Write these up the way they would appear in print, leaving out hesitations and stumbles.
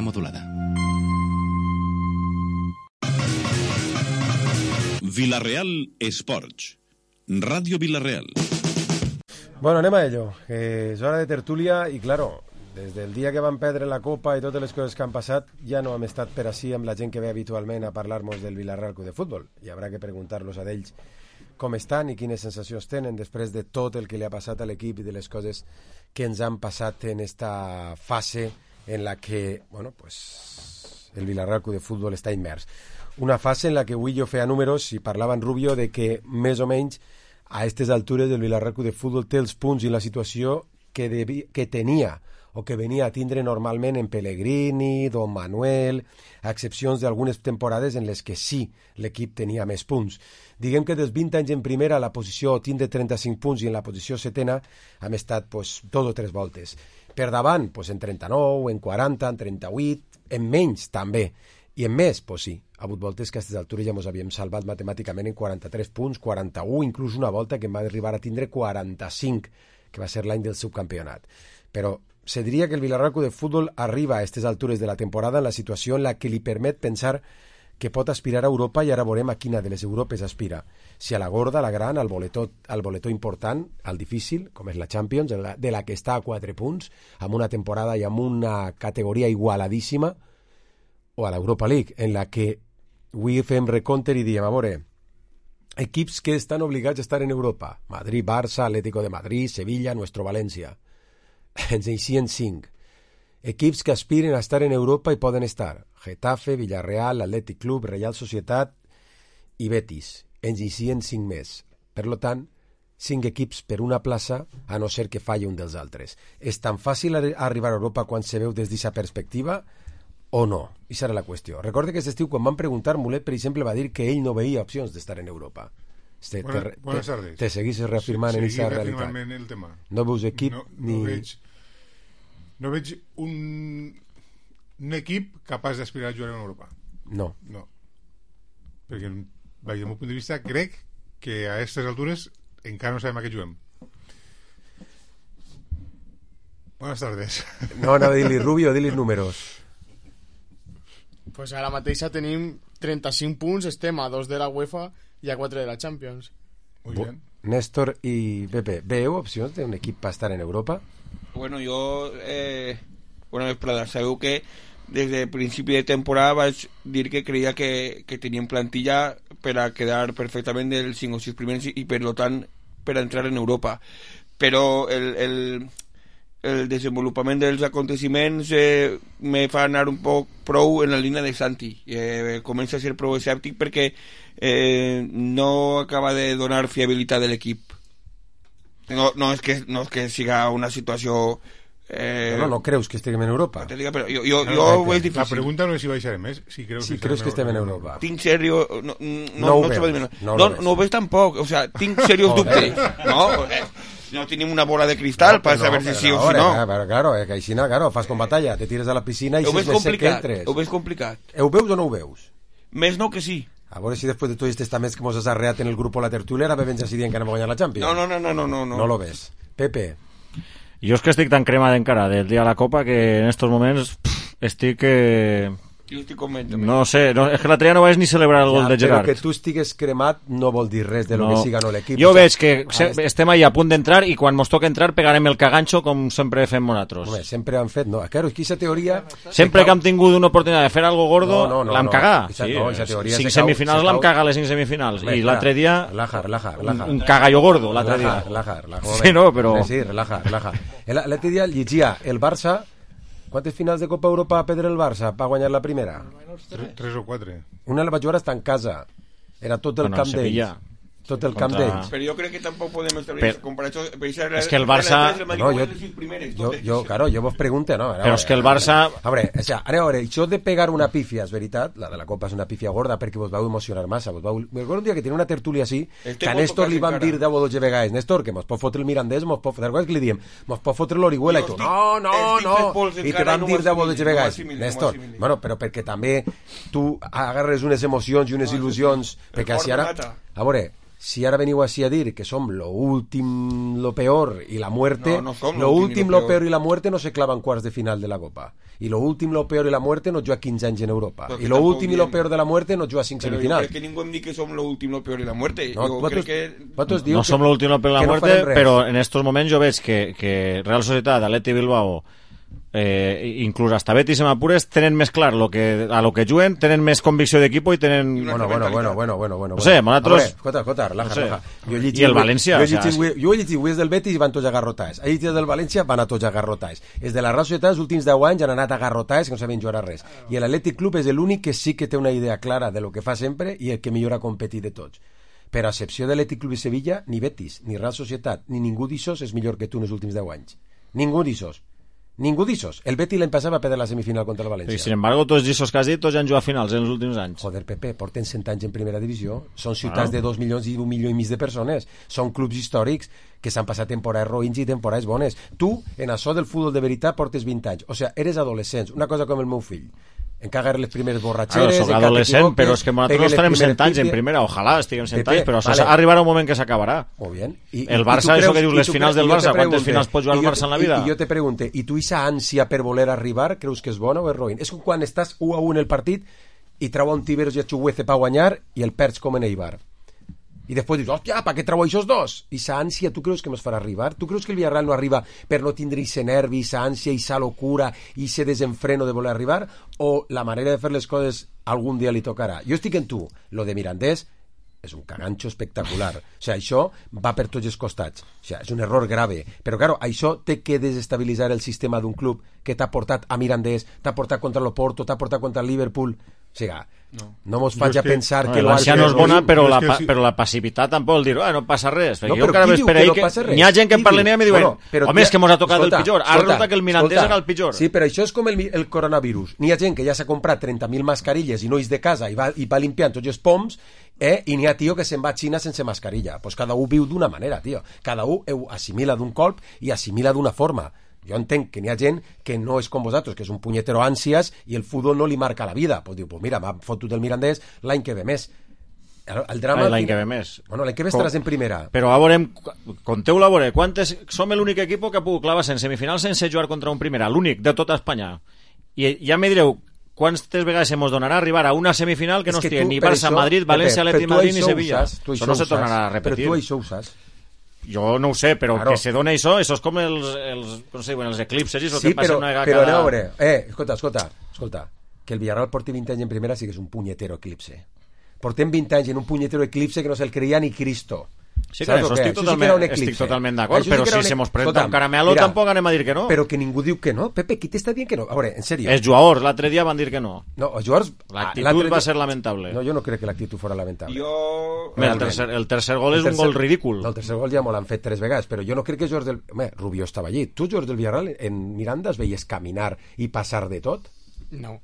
modulada. Villarreal Esports. Radio Villarreal. Bueno, anem a ello. És hora de tertúlia i, claro, des del dia que van perdre la Copa i totes les coses que han passat, ja no hem estat per així amb la gent que ve habitualment a parlar-nos del Villarreal Club de Futbol. I haurà que preguntar-los a ells com estan i quines sensacions tenen després de tot el que li ha passat a l'equip i de les coses que ens han passat en esta fase en la que, bueno, pues, el Villarreal Club de Futbol està immers. Una fase en la que avui jo feia números i parlava en Rubio de que més o menys a aquestes altures el Villarreal Club de Futbol té els punts i la situació que tenia o que venia a tindre normalment en Pellegrini, Don Manuel, a excepcions d'algunes temporades en les que sí l'equip tenia més punts. Diguem que dels 20 anys en primera la posició tindre 35 punts i en la posició setena hem estat pues, 2 o 3 voltes. Per davant, pues, en 39, en 40, en 38, en menys també. I en més, pues sí, ha hagut voltes que a aquestes altures ja ens havíem salvat matemàticament en 43 punts, 41, inclús una volta que em va arribar a tindre 45, que va ser l'any del subcampionat. Però se diria que el Villarreal Club de Futbol arriba a aquestes altures de la temporada en la situació en la que li permet pensar que pot aspirar a Europa i ara veurem a quina de les Europes aspira. Si a la gorda, a la gran, al boletó important, al difícil, com és la Champions, de la que està a 4 punts, amb una temporada i amb una categoria igualadíssima, o a l'Europa League, en la que avui fem recompte i diem, a veure, equips que estan obligats a estar en Europa, Madrid, Barça, Atlético de Madrid, Sevilla, Nuestro València. Ens eixien 5. Equips que aspiren a estar en Europa i poden estar Getafe, Villarreal, Athletic Club, Real Societat i Betis. Ens eixien 5 més. Per tant, 5 equips per una plaça, a no ser que falli un dels altres. És tan fàcil arribar a Europa quan se veu des d'aquesta perspectiva o no? I serà la qüestió. Recorde que aquest estiu, quan van preguntar, Mulet, per exemple, va dir que ell no veia opcions d'estar en Europa. Buenas tardes. Te seguís reafirmant en aquesta realitat. El tema. No veus equip no veig un equip capaç d'aspirar a jugar en Europa. No. Perquè, des del meu punt de vista, crec que a aquestes altures encara no sabem a què juguem. Buenas tardes. No, anava a dir-li Rubio, dir-li números. Pues ara mateixa tenim 35 punts, estem a 2 de la UEFA i a 4 de la Champions. Muy bien. Néstor i Pepe, veieu opcions d'un equip per estar en Europa? Bueno, jo sabeu que des de principi de temporada vaig dir que creia que tenien plantilla per a quedar perfectament dels 5 o 6 primers i per tant per a entrar en Europa, però el desenvolupament dels aconteciments me fa anar un poc prou en la línia de Santi. Comença a ser prou escèptic perquè no acaba de donar fiabilitat de l'equip. No és que siga una situació... No creus que estiguem en Europa? Però jo ho veig difícil. La pregunta no és si baixarem més, si creus que estem en Europa. Tinc seriós... No ho veig tampoc. O sea, tinc seriós dubtes. No tenim una bola de cristal per saber si sí o si no. Claro, que així, claro, fas com batalla, te tires a la piscina i si és més sec que entres. Ho veig complicat. Ho veus o no ho veus? Més no que sí. A veure si després de tots aquests testaments que mos has arreat en el grup o la tertúlia ara bevens així dient que anem a guanyar la Champions. No. No lo ves. Pepe. Jo és que estic tan cremat encara del dia de la Copa que en estos moments estic... Jo estic convent. No sé, és que l'altre dia no vaig ni celebrar el gol de Gerard. Però que tu estigues cremat no vol dir res de lo que siga no l'equip. Jo veig que estem ahí a punt d'entrar i quan mos toca entrar pegarem el caganxo com sempre fem nosaltres. Home, sempre han fet, no. Claro, és que aquesta teoria... Sempre que hem tingut una oportunitat de fer algo gordo, l'hem cagat. Sí, 5 semifinals l'hem cagat les 5 semifinals. I l'altre dia... Relaja. Un cagallo gordo, l'altre dia. Relaja. Sí, no, però... Sí, relaja. L'altre dia llegia el Barça. Quantes finals de Copa Europa va perdre el Barça per guanyar la primera? 3 o 4. Una la vaig jugar estar en casa. Era tot el camp d'ells. Tot el camp d'ells. Però jo crec que tampoc podem establir comparació. És que el Barça... Jo vos pregunto, no? Però és que el Barça... A veure, això de pegar una pífia, és veritat, la de la Copa és una pífia gorda perquè vos vau emocionar massa. Recordo un dia que tenia una tertúlia així, que a Néstor li van dir 10 o 12 vegades, Néstor, que mos pot fotre el Mirandés, mos pot fotre l'Orihuela, i tu, no, i te van dir 10 o 12 vegades. Néstor, bueno, però perquè també tu agarres unes emocions i unes il·lusions, perquè si ara A veure, si ara veniu així a dir que som lo últim, lo peor y la muerte, no som lo últim, lo peor y la muerte no se clava en quarts de final de la Copa. I lo últim, lo peor y la muerte no juga 15 anys en Europa. I lo últim i lo peor de la muerte no juga 5 semifinals. Però jo crec que ningú em diu que som lo últim, lo peor y la muerte. No, no som lo últim, lo peor y la muerte, però en estos moments jo veig que Real Societat, Atleti Bilbao, inclús hasta Betis i m'apures tenen més clar a lo que juguen, tenen més convicció d'equip i tenen... Bueno. No sé, nosaltres... Escolta, relaja. I el València... Jo he llegit avui els del Betis i van tots agarrotats. He llegit del València, van a tots agarrotats. Els de la Real Societat, els últims 10 anys han anat agarrotats, que no saben jugar a res. I l'Atlètic Club és l'únic que sí que té una idea clara de lo que fa sempre i el que millor ha competit de tots. Per a excepció de l'Atlètic Club i Sevilla, ni Betis, ni Real Societat, ni ningú d'ixos és millor que tu en els últims 10 anys. Ningú d'ixos. El Betis l'any passat va perdre la semifinal contra el València. I sin embargo, tots els que has dit, tots han jugat finals en els últims anys. Joder, Pepe, porten 100 anys en primera divisió. Són ciutats de 2 milions i 1 milió i mig de persones. Són clubs històrics que s'han passat temporades roïns i temporades bones. Tu, en això del futbol de veritat, portes 20 anys. O sigui, eres adolescents. Una cosa com el meu fill. Encagar les primeres borratxeres... Soc adolescent, però és que nosaltres no estarem 100 anys en primera. Ojalà estiguem 100 anys, però arribarà un moment que s'acabarà. Molt bé. El Barça, això que dius, les finals del Barça, quantes finals pot jugar el Barça en la vida? I jo te pregunte, i tu aquesta ànsia per voler arribar, creus que és bona o és roïn? És com quan estàs 1-1 en el partit i trau un Tiberos i a Chuguece per guanyar i el perds com en Eibar. I després dius, hòstia, per què trau aquests dos? I aquesta ànsia, tu creus que ens farà arribar? Tu creus que el Villarreal no arriba per no tindre aquest nervi, aquesta ànsia, aquesta locura, aquest desenfreno de voler arribar? O la manera de fer les coses algun dia li tocarà? Jo estic en tu. Lo de Mirandés és un caganxo espectacular. O sigui, això va per tots els costats. O sigui, és un error grave. Però, claro, això té que desestabilitzar el sistema d'un club que t'ha portat a Mirandés, t'ha portat contra l'Oporto, t'ha portat contra el Liverpool. O sigui, no mos faig a pensar que l'ànsia no és bona, però la passivitat tampoc vol dir, no passa res. Jo encara m'esperé que n'hi ha gent que em parlen i em diuen, home, és que mos ha tocat el pitjor. Ara resulta que el Mirandés era el pitjor. Sí, però això és com el coronavirus. N'hi ha gent que ja s'ha comprat 30.000 mascarilles i no és de casa i va limpiant tots els poms, i n'hi ha tio que se'n va a Xina sense mascarilla. Pues cada un viu d'una manera, tio. Cada un assimila d'un colp i assimila d'una forma. Jo entenc que n'hi ha gent que no és com vosaltres, que és un punyetero ànsies i el futbol no li marca la vida. Pues diu, pues mira, m'ha fotut el Mirandés l'any que ve més. El drama... L'any que ve més. Bueno, l'any que ve estaràs en primera. Però a veure, conteu-la a veure, som l'únic equip que ha pogut clavar-se en semifinals sense jugar contra un primera, l'únic de tota Espanya. I ja me direu, quantes vegades ens donarà arribar a una semifinal que no estigui ni Barça, Madrid, València, Atleti Madrid ni Sevilla. Això no se tornarà a repetir. Però tu això ho saps. Jo no ho sé, però claro, que se dona això és com els eclipses i el que passa una vegada però a veure, escolta, que el Villarreal porti 20 anys en primera sí que és un punyetero eclipse. Portem 20 anys en un punyetero eclipse que no se'l creia ni Cristo. Sí, que això estic totalment d'acord, però si se mos presenta un caramelo tampoc anem a dir que no. Però que ningú diu que no. Pepe, qui t'està dient que no? A veure, en sèrio. Els jugadors l'altre dia van dir que no. No, els jugadors... L'actitud va ser lamentable. No, jo no crec que l'actitud fos lamentable. El tercer gol és un gol ridícul. El tercer gol ja m'ho l'han fet 3 vegades, però jo no crec que els jugadors del... Home, Rubio estava allí. Tu, jugadors del Villarreal, en Miranda es veies caminar i passar de tot? No.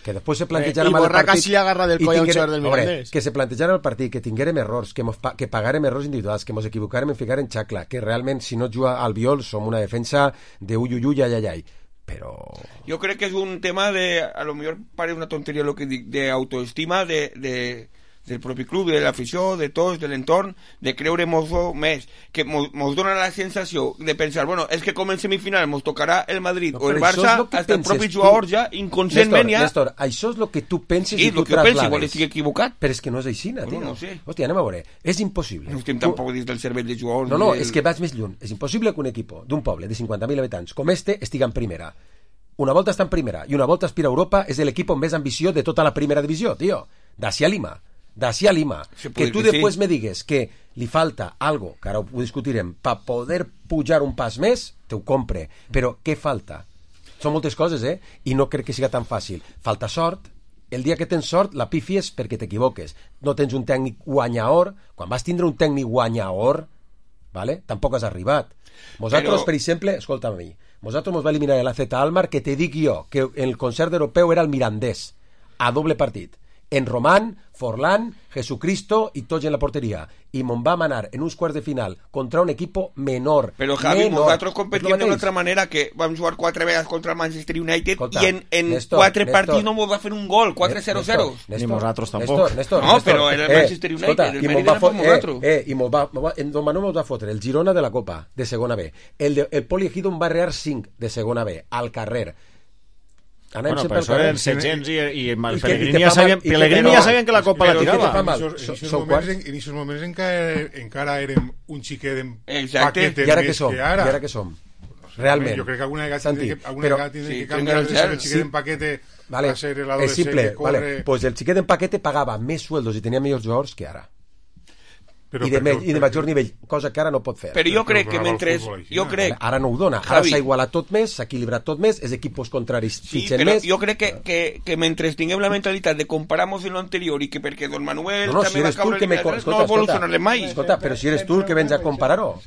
Que després se plantejara mal el partit quasi agarra del coll a un jugador del Mirandés. Que se plantejara el partit, que tinguérem errors, que pagarem errors individuals, que mos equivocarem en ficar en xacla, que realment si no juga al Biol som una defensa de uyuyuy, ayayay. Però... Jo crec que és un tema de, a lo millor parece una tonteria lo que dic, de autoestima del propi club, de l'afició, de tots, de l'entorn, de creure més, que mos dona la sensació de pensar, bueno, és que com en semifinal mos tocarà el Madrid o el Barça, hasta el propi jugador ja, inconscientment ja... Néstor, això és el que tu penses i tu traslades. Sí, el que penso, igual estic equivocat. Però és que no és així, tio. No sé. Hòstia, anem a veure, és impossible. No estem tampoc dins del cervell de jugadors. No, és que vaig més lluny. És impossible que un equip d'un poble de 50.000 habitants com este estigui en primera. Una volta està en primera i una volta aspira a Europa, és l'equip amb més ambició de tota la primera divisió, tio. D'ací a Lima. Que tu després me digues que li falta algo, que ara ho discutirem, per poder pujar un pas més, te ho compre. Però què falta? Són moltes coses, I no crec que siga tan fàcil. Falta sort. El dia que tens sort, la pifies perquè t'equivoques. No tens un tècnic guanyador. Quan vas tindre un tècnic guanyador, ¿vale? Tampoc has arribat. Nosaltres, per exemple, escolta'm a mi, nosaltres mos va eliminar l'AZ Almar, que te dic jo que el concert europeu era el Mirandés, a doble partit. en Román, Forlán, Jesucristo i tots en la porteria. I me'n vam anar en uns quarts de final contra un equipo menor. Però Javi, nosaltres competíem d'una altra manera, que vam jugar 4 vegades contra el Manchester United. Escolta, i en Néstor, 4 partits no ens va fer un gol, 4-0-0. Ni nosaltres tampoc. Néstor, no, però era el Manchester United, escolta, el mèrit era per nosaltres. I en Domano nos va fotre el Girona de la Copa, de segona B. El Poli Ejido en va rear 5 de segona B, al carrer. Bueno, però això eren Setgens i Pellegrini ja sabien que la Copa la tirava. En aquests moments encara érem un xiquet en paquet i ara què som? Realment. Jo crec que alguna vegada tindrem que canviar de ser el xiquet en paquete a ser l'adolescent que corre. Pues el xiquet en paquete pagava més sueldos i tenia millors jugadors que ara. I de major nivell, cosa que ara no pot fer. Però jo crec que mentre... Ara no ho dona, ara s'ha igualat tot més, s'ha equilibrat tot més, els equipos contraris fitxen més... Sí, però jo crec que mentre tinguem la mentalitat de comparar-nos en l'anterior i que perquè Don Manuel també va caure no evolucionarem mai. Escolta, però si eres tu el que vens a comparar-ho.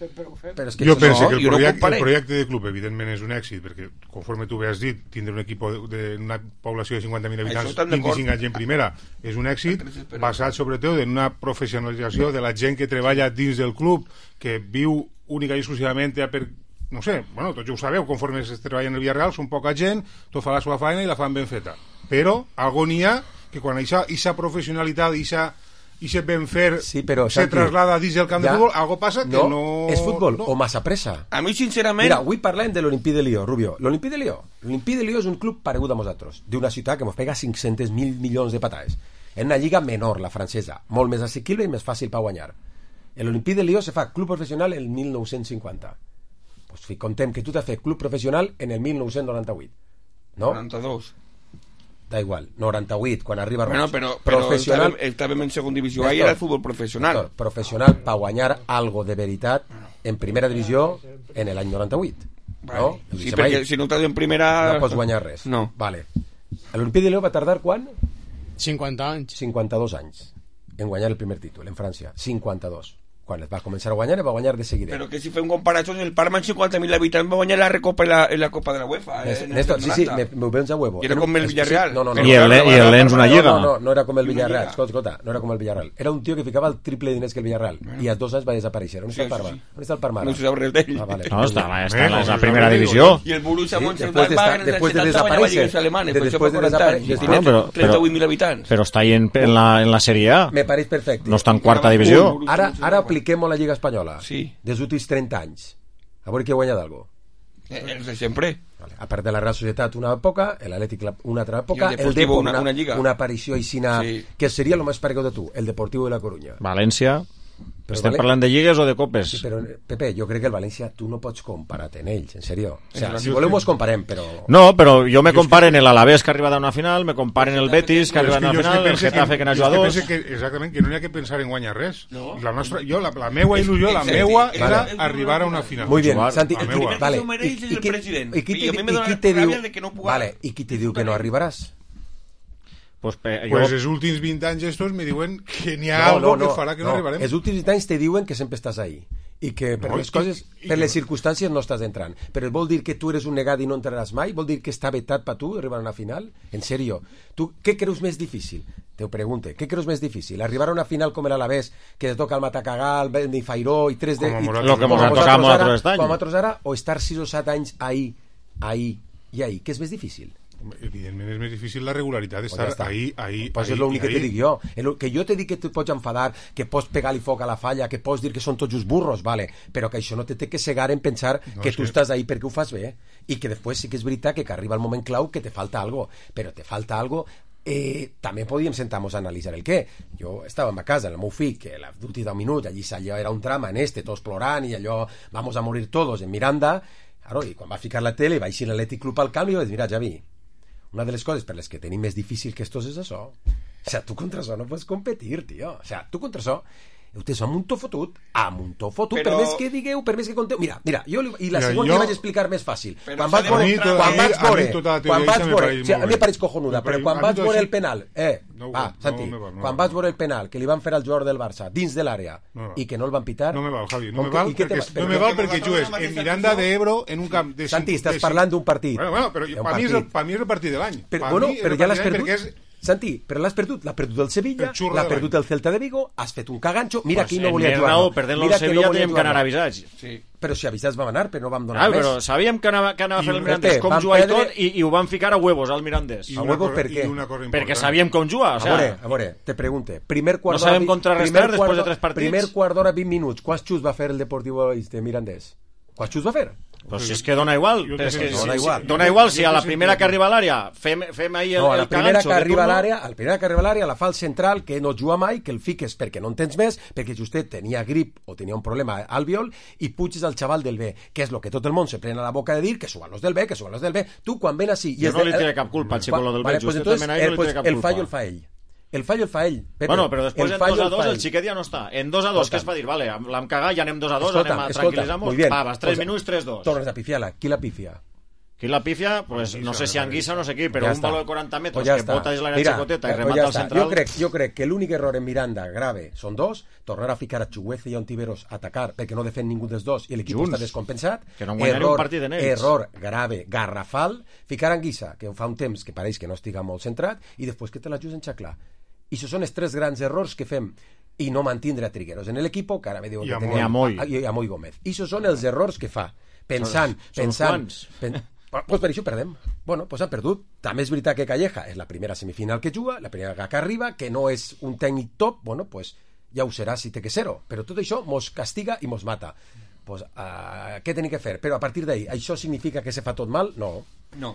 Jo penso que el projecte de club evidentment és un èxit, perquè conforme tu has dit, tindre un equip d'una població de 50.000 habitants 25 anys en primera és un èxit, basat sobretot en una professionalització de la gent que treballa dins del club, que viu única i exclusivament per... No sé, bueno, tots ja ho sabeu, conforme es treballa en el Villarreal, són poca gent, tot fa la seva feina i la fan ben feta. Però, algo n'hi ha que quan aquesta professionalitat, aquest ben fer se traslada dins del camp de futbol, algo passa que no... És futbol o massa pressa. A mi, sincerament... Mira, avui parlem de l'Olimpí de Lió, Rubio. L'Olimpí de Lió és un club paregut a nosaltres, d'una ciutat que ens pega 500.000 milions de patades. En una lliga menor, la francesa, molt més assequible i més fàcil per guanyar. L'Olimpí de Lió se fa club professional el 1950. Pues contem que tu t'has fet club professional en el 1998. No? 92. Da igual, 98, quan arriba Roig. Bueno, però estàvem en segona divisió, ahí era el futbol professional. Professional per guanyar algo de veritat en primera divisió en l'any 98. Vale. No? Sí, perquè si no estàs en primera... No pots guanyar res. No. Vale. L'Olimpí de Lió va tardar quan? 50 anys. 52 anys en guanyar el primer títol en França. 52. Quan es va començar a guanyar, va guanyar de seguida. Però que si fem comparacions, el Parma amb 50.000 habitants va guanyar la Recopa en la Copa de la UEFA. Néstor, sí, me vens a huevo. I era com el Villarreal. No. I el Lens una lliga. No era com el Villarreal. Escolta, no era com el Villarreal. Era un tio que ficava el triple de diners que el Villarreal. I a 2 anys va desaparèixer. On està el Parma? On està el Parma? No se sap res d'ell. No, està en la primera divisió. I el Borussia Mönchengladbach va en el 70 va a lligues alemanes. Després de desaparèixer. Tiene 38.000 habitants. Però està ahí en la Sèrie A. Me pareix perfecte. No està en quarta divisió. Ara apliquem la Lliga Espanyola. Sí. Dels últims 30 anys. A veure qui ha guanyat algo. Els de sempre. Vale. A part de la Real Societat una època, l'Atlètic una altra època, el Deportivo una aparició aixina, que seria el més paregut de tu, el Deportivo de la Coruña. València. Estem parlant de lligues o de copes? Sí, però, Pepe, jo crec que el València tu no pots comparar-te en ells, en sèrio. O sea, si volem us comparem, però... No, però jo me comparen el Alavés que ha arribat a una final, me comparen el Betis que ha arribat a una final, el Getafe que n'ha jugat 2... Exactament, que no n'hi ha que pensar en guanyar res. La meua il·lusió, la meua era arribar a una final. Muy bien, Santi. Vale. I qui te diu que no arribaràs? Pues els últims 20 anys estos me diuen que n'hi ha algo que farà que no arribarem. Els últims 20 anys te diuen que sempre estàs ahí i que per les coses, per les circumstàncies no estàs entrant, però vol dir que tu eres un negat i no entraràs mai? Vol dir que està vetat per tu arribar a una final? En sèrio, tu què creus més difícil? Te ho pregunte, què creus més difícil? Arribar a una final com l'Alavés, que te toca el Matacagal, el Benifairó i 3 de... Lo que mos ha tocat a nosaltres ara, o estar 6 o 7 anys ahí, què és més difícil? Evidentment és més difícil la regularitat d'estar ahí. Pues és l'únic que te dic jo. Que jo te dic que tu pots enfadar, que pots pegar-li foc a la falla, que pots dir que són tots just burros, vale, però que això no te té que cegar en pensar que tu estàs ahí perquè ho fas bé i que després sí que és veritat que arriba el moment clau que te falta algo, però te falta algo. També podíem sentar-nos a analitzar el què. Jo estava a casa, el meu fill, que l'últim 10 minuts, allò era un drama tots plorant i allò, vamos a morir todos en Miranda, i quan va ficar la tele va eixir l'Atlètic Club al camp i vaig dir, mira, Javi, una de les coses per les que tenim més difícil que estos és això. O sea, tu contra això no pots competir, tio. O sea, tu contra això Ustedes són un to fotut, però... per més que digueu, per més que conteu... Mira, jo i la segona que vaig explicar més fàcil. Quan vaig veure... A mi em pareix cojonuda, però quan vaig veure el penal... Santi, quan vaig veure el penal que li van fer al jugador del Barça dins de l'àrea i que no el van pitar... No me val, Javi, no me val perquè jugues en Miranda de Ebro en un camp de... Santi, estàs parlant d'un partit. Bueno, però per mi és el partit de l'any. Però ja l'has perdut. Santi, però l'has perdut el Sevilla, l'ha perdut el Celta de Vigo, has fet un caganxo, mira qui no volia jugar. Perdent-lo el Sevilla teníem que anar avisats. Però si avisats vam anar, però no vam donar més. Però sabíem que anava a fer el Mirandés, com jugar i tot, i ho van ficar a huevos al Mirandés. A huevos per què? Perquè sabíem com jugar. A veure, te pregunte, no sabem contrarrestar després de 3 partits. Primer quart d'hora, 20 minuts, quants xus va fer el Deportivo de Mirandés? Quants xus va fer? Pues si és que dona igual. Dona igual si a la primera que arriba a l'àrea fem ahir el caganxo. La primera que arriba a l'àrea la fa el central, que no juga mai, que el fiques perquè no en tens més, perquè justet tenia grip o tenia un problema al viol, i puges al xaval del B, que és el que tot el món se pren a la boca de dir, que suban los del B. Tu, quan ven així... Jo no li tiré cap culpa, xico, lo del B. El fallo el fa ell. El fallo el fa ell. Pepe. Bueno, però després en 2-2 el xiquet ja no està. En 2-2, què es va dir? Vale, l'hem cagat, ja anem 2-2, anem a tranquil·litzar-nos. Vas 3 minuts, 3-2. Tornes a pifiar-la. Qui la pifia? Qui la pifia? Pues no sé si Anguissa o no sé qui, però un valor de 40 metres que bota és l'àrea xicoteta i remata al central. Jo crec que l'únic error en Miranda grave són dos, tornar a ficar a Chuguece i a Ontiveros a atacar perquè no defen ningú dels dos i l'equip està descompensat. Que no guanyaria un partit en ells. Error grave, garrafal, ficar Anguissa, que fa un temps que pareix que no estiga molt centrat, i després que te la just enxaclar. I això són els 3 grans errors que fem, i no mantindre a Trigueros en l'equip, que ara me diuen que tenia a Moy Gómez. I això són els errors que fa, pensant. Pues per això perdem. Bueno, pues han perdut. També és veritat que Calleja és la primera semifinal que juga, la primera que arriba, que no és un tècnic top, bueno, pues ja ho serà si té que ser-ho. Però tot això mos castiga i mos mata. Pues, què tenim que fer? Però a partir d'ahí, això significa que se fa tot mal? No. No,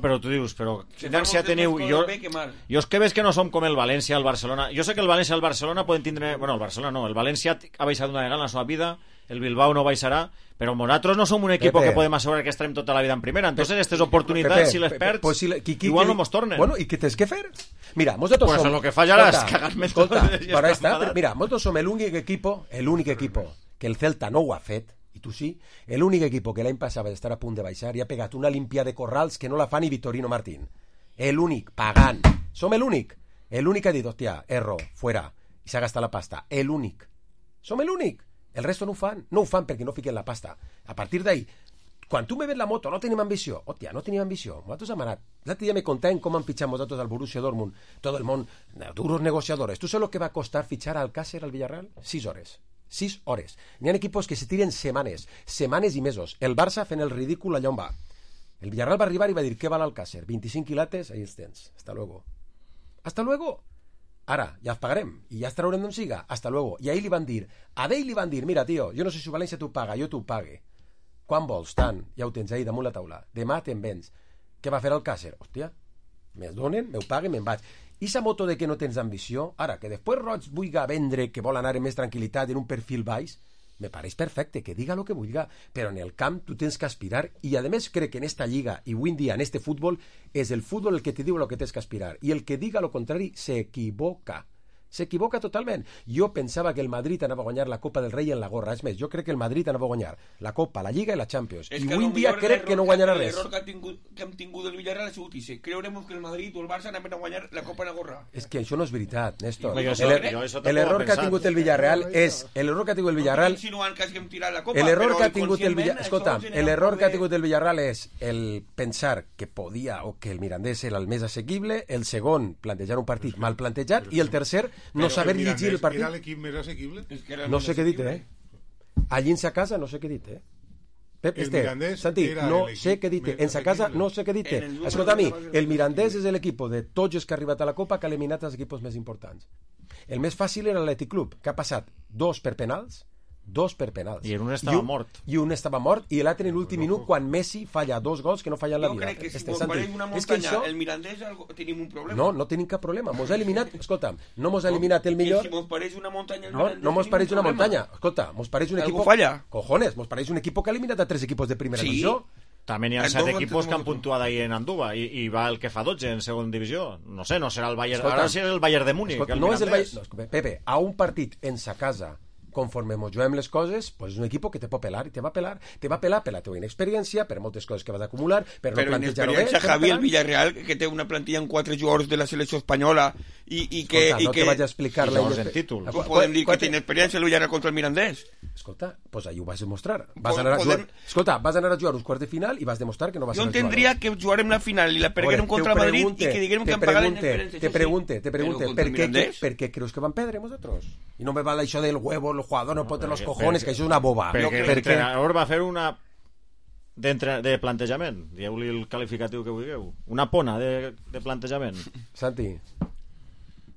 però tu dius, però inèrcia teniu... Jo és que veig que no som com el València, el Barcelona. Jo sé que el València i el Barcelona poden tindre... Bueno, el Barcelona no, el València ha baixat una vegada en la seva vida, el Bilbao no baixarà, però nosaltres no som un equip que podem assegurar que estarem tota la vida en primera. Entonces, aquestes oportunitats, si les perds, igual no mos tornen. Bueno, i què tens que fer? Mira, nosaltres som... Pues lo que fallarà és cagar-me tot. Mira, nosaltres som l'únic equipo que el Celta no ho ha fet, i tu sí, l'únic equipo que l'any passat va estar a punt de baixar i ha pegat una limpia de corrals que no la fa ni Vitorino Martín. L'únic, pagant. Som l'únic. L'únic que ha dit, hòstia, erro, fuera, i s'ha gastat la pasta. L'únic. Som l'únic. El resto no ho fan. No ho fan perquè no fiquen la pasta. A partir d'ahí, quan tu me ves la moto, no tenim ambició. Hòstia, no tenim ambició. Nosaltres hem anat. L'altre dia me contaven com han fitxat nosaltres al Borussia Dortmund. Tot el món, duros negociadores. Tu saps el que va costar fitxar al Alcácer al Villarreal? 6 hores. 6 hores. N'hi ha equipos que se tiren setmanes i mesos. El Barça fent el ridícul allà on va. El Villarreal va arribar i va dir, què val l'Alcácer? 25 quilates, ahí els tens. Hasta luego. Hasta luego. Ara, ja els pagarem, i ja els traurem d'on siga. Hasta luego. I ahir li van dir, mira, tio, jo no sé si València t'ho paga, jo t'ho pague. Quan vols? Tant, ja ho tens ahí damunt la taula. Demà te'n vens. Què va fer Alcácer? Hòstia, me'l donen, m'ho paguen, me'n vaig. I sa moto de que no tens ambició, ara, que després Roig vulga vendre, que vol anar en més tranquil·litat, en un perfil baix, me pareix perfecte, que diga lo que vulga, però en el camp tu tens que aspirar, i a més crec que en esta lliga, i avui en dia en este futbol, és el futbol el que te diu lo que tens que aspirar, i el que diga lo contrari s'equivoca totalment. Jo pensava que el Madrid anava a guanyar la Copa del Rei en la gorra, és més, jo crec que el Madrid anava a guanyar la Copa, la Lliga i la Champions, i avui en dia crec que no guanyarà res. L'error que hem tingut el Villarreal ha sigut i creurem que el Madrid o el Barça anaven a guanyar la Copa en la gorra. És que això no és veritat, Néstor. L'error que ha tingut el Villarreal és... L'error que ha tingut el Villarreal... L'error que ha tingut el Villarreal... Escolta, l'error que ha tingut el Villarreal és el pensar que podia o que el Mirandés era el més assequible, el segon, plantejar un partit mal plantejat, i el tercer, no saber llegir el partit. Era l'equip més assequible? No sé què dit, allí en sa casa no sé què dit, Pep, Santi, no sé què dit, en sa casa no sé què dit. Escolta, a mi, el Mirandés és l'equip de tots els que ha arribat a la Copa que ha eliminat els equips més importants. El més fàcil era l'Atlètic Club, que ha passat 2 per penals, i un estava mort. I un estava mort, i l'altre en l'últim minut, quan Messi falla 2 gols que no falla en la vida. Jo crec que si compareix una muntanya, el Mirandés tenim un problema. No tenim cap problema. Mos ha eliminat, escolta'm, no mos ha eliminat el millor... Si mos pareix una muntanya, el Mirandés... No mos pareix una muntanya. Escolta, mos pareix un equip... Algú falla. Cojones, mos pareix un equip que ha eliminat a 3 equipos de primera divisió. També n'hi ha 7 equipos que han puntuat ahir en Andúba i va el que fa 12 en segona divisió. No sé, no serà el Bayern... Ara sí és el Bayern de Múnich. No és el Bayern... Pepe, a un partit en sa casa conforme mos juguem les coses, pues és un equip que te pot pelar i te va pelar per la teva inexperiència, per moltes coses que vas acumular, per no plantejar-ho bé. Però inexperiència, Javi, el Villarreal, que té una plantilla amb 4 jugadors de la selecció espanyola no te vaig a explicar el títol. Podem dir que tiene experiència el Villarreal contra el Mirandés. Escolta, pues ahí ho vas demostrar. Vas anar a jugar uns quarts de final i vas demostrar que no vas a jugar. Jo entendria que jugarem la final i la perguérem contra el Madrid i que diguérem que han pagat l'experiència. Te pregunte, per què creus que van perdre nosaltres? I no me val això del huevo, el jugador no pot tenir los cojones, que això és una boba. Perquè l'entrenador va fer una de plantejament, dieu-li el qualificatiu que vulgueu, una pona de plantejament. Santi.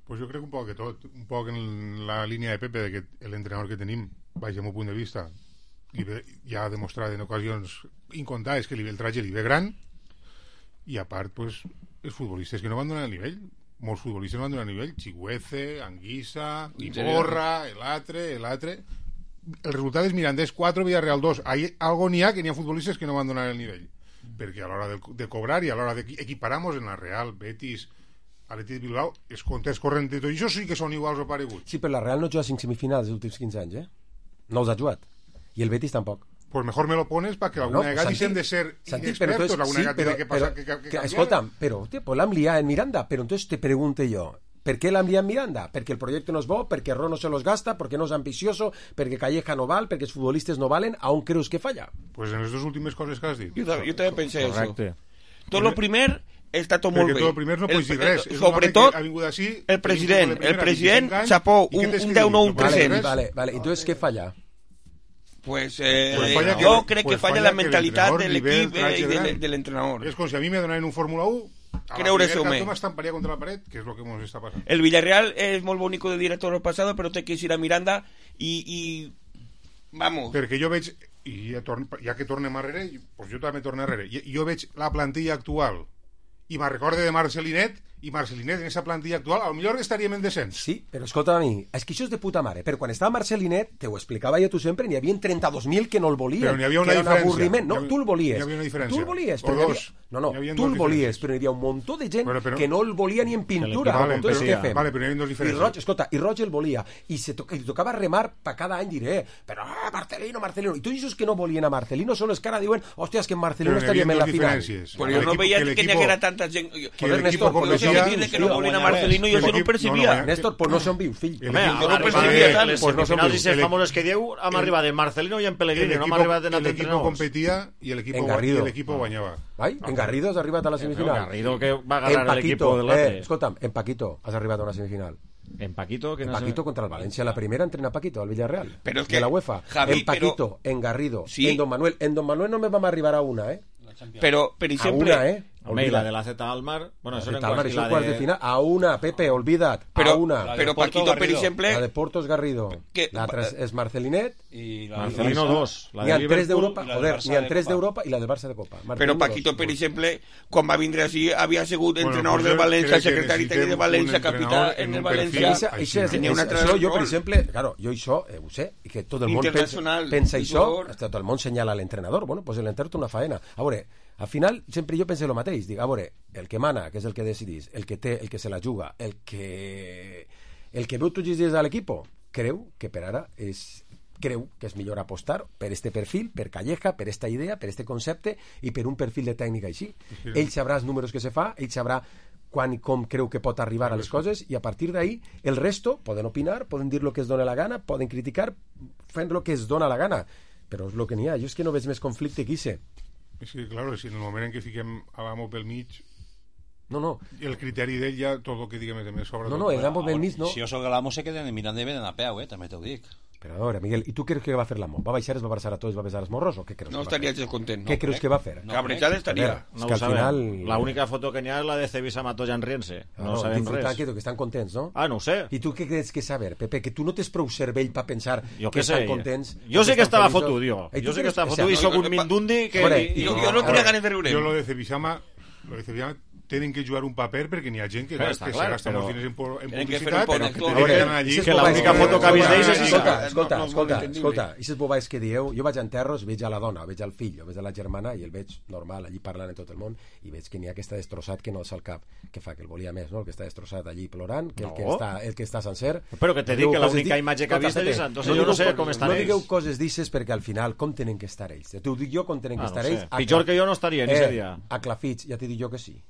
Pues jo crec un poc que tot, un poc en la línia de Pepe, de que l'entrenador que tenim, baix al meu punt de vista, ja ha demostrat en ocasions incontades que el traje li ve gran, i a part, pues, els futbolistes que no van donar el nivell, molts futbolistes no van donar el nivell, Chigüeze, Anguissa, Iborra, l'altre. El resultat és Mirandés 4, Villarreal 2. Algo n'hi ha que n'hi ha futbolistes que no van donar el nivell, perquè a l'hora de cobrar i a l'hora d'equiparamos en la Real, Betis, Atlètic de Bilbao, els comptes corrents de tot això sí que són iguals o pareguts. Sí, però la Real no juga 5 semifinals els últims 15 anys, No els ha jugat. I el Betis tampoc. Pues mejor me lo pones para que alguna vegada dicen de ser inexpertos, alguna vegada tiene que pasar que escolta'm, però pues l'hem liat en Miranda, però entonces te pregunto jo, ¿per qué l'hem liat en Miranda? Perquè el projecte no és bo, perquè Ro no se los gasta, perquè no és ambicioso, perquè Calleja no val, perquè els futbolistes no valen, a on creus que falla? Pues en les dues últimes coses que has dit. Jo també pensé això. Tot lo primer està tot molt bé. Perquè tot el primer no pots dir res. Sobretot, el president xapó un 10-9, un 300. Vale. Entonces, què falla? Pues yo creo que falla la mentalidad del equipo y del entrenador. Es como si a mí me donaran un Fórmula 1, creure-s'ho-me. M'estamparia contra la paret, que és el que ens està passant. El Villarreal és molt bonico de dir a tot el passat, però té que ir a Miranda i vamos. Perquè jo veig, i ja que tornem arrere, pues jo també torno arrere, jo veig la plantilla actual i me'n recorde de Marcelinet, i Marcelinet en aquesta plantilla actual potser estaríem en descens. Sí, però escolta a mi, és que això és de puta mare, però quan estava Marcelinet, te ho explicava jo tu sempre, n'hi havia 32.000 que no el volien, però n'hi havia una diferència. No, tu el volies. N'hi havia una diferència. Tu el volies, però tu el volies, però n'hi havia un muntó de gent que no el volia ni en pintura. Entonces, què fem? Vale, però n'hi havia dos diferències. I Roig el volia, i tocava remar per cada any, diré, però Marcelino, i tu dius que no volien a Marcelino, són els que ara diuen, hòstia, que en Marcelino estaríem en la final. Però jo no veia que n'hi haguera tanta gent. Néstor, no sé què dir que no volien a Marcelino, jo això no ho percibia. Néstor, pues no són vius, fill. Jo no ho percibia tant. Les semifinals i les famoses que dieu, hem arribat en Marcelino i en Pellegrini, no hem arribat en altres entrenadors. El equipo competia y el equipo guanyava. En Garrido has arribat a la semifinal. Garrido que va agarrar el equipo del Latre. Escolta'm, en Paquito has arribat a una semifinal. En Paquito contra el Valencia, la primera entrena Paquito al Villarreal, pero es que de la UEFA. En Paquito, en Garrido, en Don Manuel no me vam arribar a una, Pero per exemple, a una, Almeida, la de la Z Almar, bueno, eso era en cuartos de final, a una, Pepe, olvida't, a una. Pero Paquito, per exemple, la de Portos Garrido, la es Marcelinet y Marcelino 2, la de Liverpool, d'Europa, ni en 3 d'Europa i la del Barça de Copa. Però Paquito, per exemple, quan va vindre així, havia sigut entrenador del València, secretari tècnic de València, capità en el València. Això, jo, per exemple, claro, jo això ho sé, i que tot el món pensa això, tot el món senyala l'entrenador, bueno, pues l'entrenador té una faena. A veure, al final sempre jo penso el mateix, dic, a veure, el que mana, que és el que decidís, el que té, el que se la juga, el que veu tots els dies a l'equip, creu que per ara creu que és millor apostar per este perfil, per Calleja, per esta idea, per este concepte i per un perfil de tècnica així. Ell sabrà els números que se fa, ell sabrà quan i com creu que pot arribar a les coses, i a partir d'ahí el resto poden opinar, poden dir el que es dona la gana, poden criticar fent el que es dona la gana, però és el que n'hi ha. Jo és que no veig més conflicte que hice. És que, claro, si en el moment en què fiquem Adamo pel mig, no. El criteri d'ell ja tot el que diguem és més sobre. No, el Adamo pel mig no. Si jo soc l'amo se queden mirant de venen a peu, també t'ho dic. Però a veure, Miguel, i tu creus que va fer l'amo? Va baixar, es va abraçar a tots, va besar els morros, o què creus? No estaria gens content. Què creus que va fer? Cabrejada estaria. No ho sabem. La única foto que n'hi ha és la de Cebisa Matoya riense. No sabem res. Que estan contents, no? Ah, no ho sé. I tu què creus que saber, Pepe? Que tu no tens prou cervell per pensar que estan contents? Jo sé que estava fotut, jo. Jo sé que estava fotut i soc un mindundi que... Jo no tenia ganes de riure. Jo lo de Cebisama tenen que jugar un paper perquè n'hi ha gent que se gasta molts diners en publicitat, però que tenen que anar allí. Que l'única foto que ha vist d'ells és Escolta, i aquestes bobades que dieu, jo vaig a enterros, veig a la dona, veig al fill, veig a la germana i el veig normal, allí parlant en tot el món, i veig que n'hi ha que està destrossat, que no alça el cap, que fa que el volia més, no? El que està destrossat allí plorant, que el que està sencer. Però que te dic que l'única imatge que ha vist és, entonces jo no sé com estan ells. No digueu coses d'ixes perquè al final com tenen que estar ells? T'ho dic jo com tenen que estar ells. Pitjor que jo no estaria en ese dia. A Clafits, ja t'he dit jo que sí.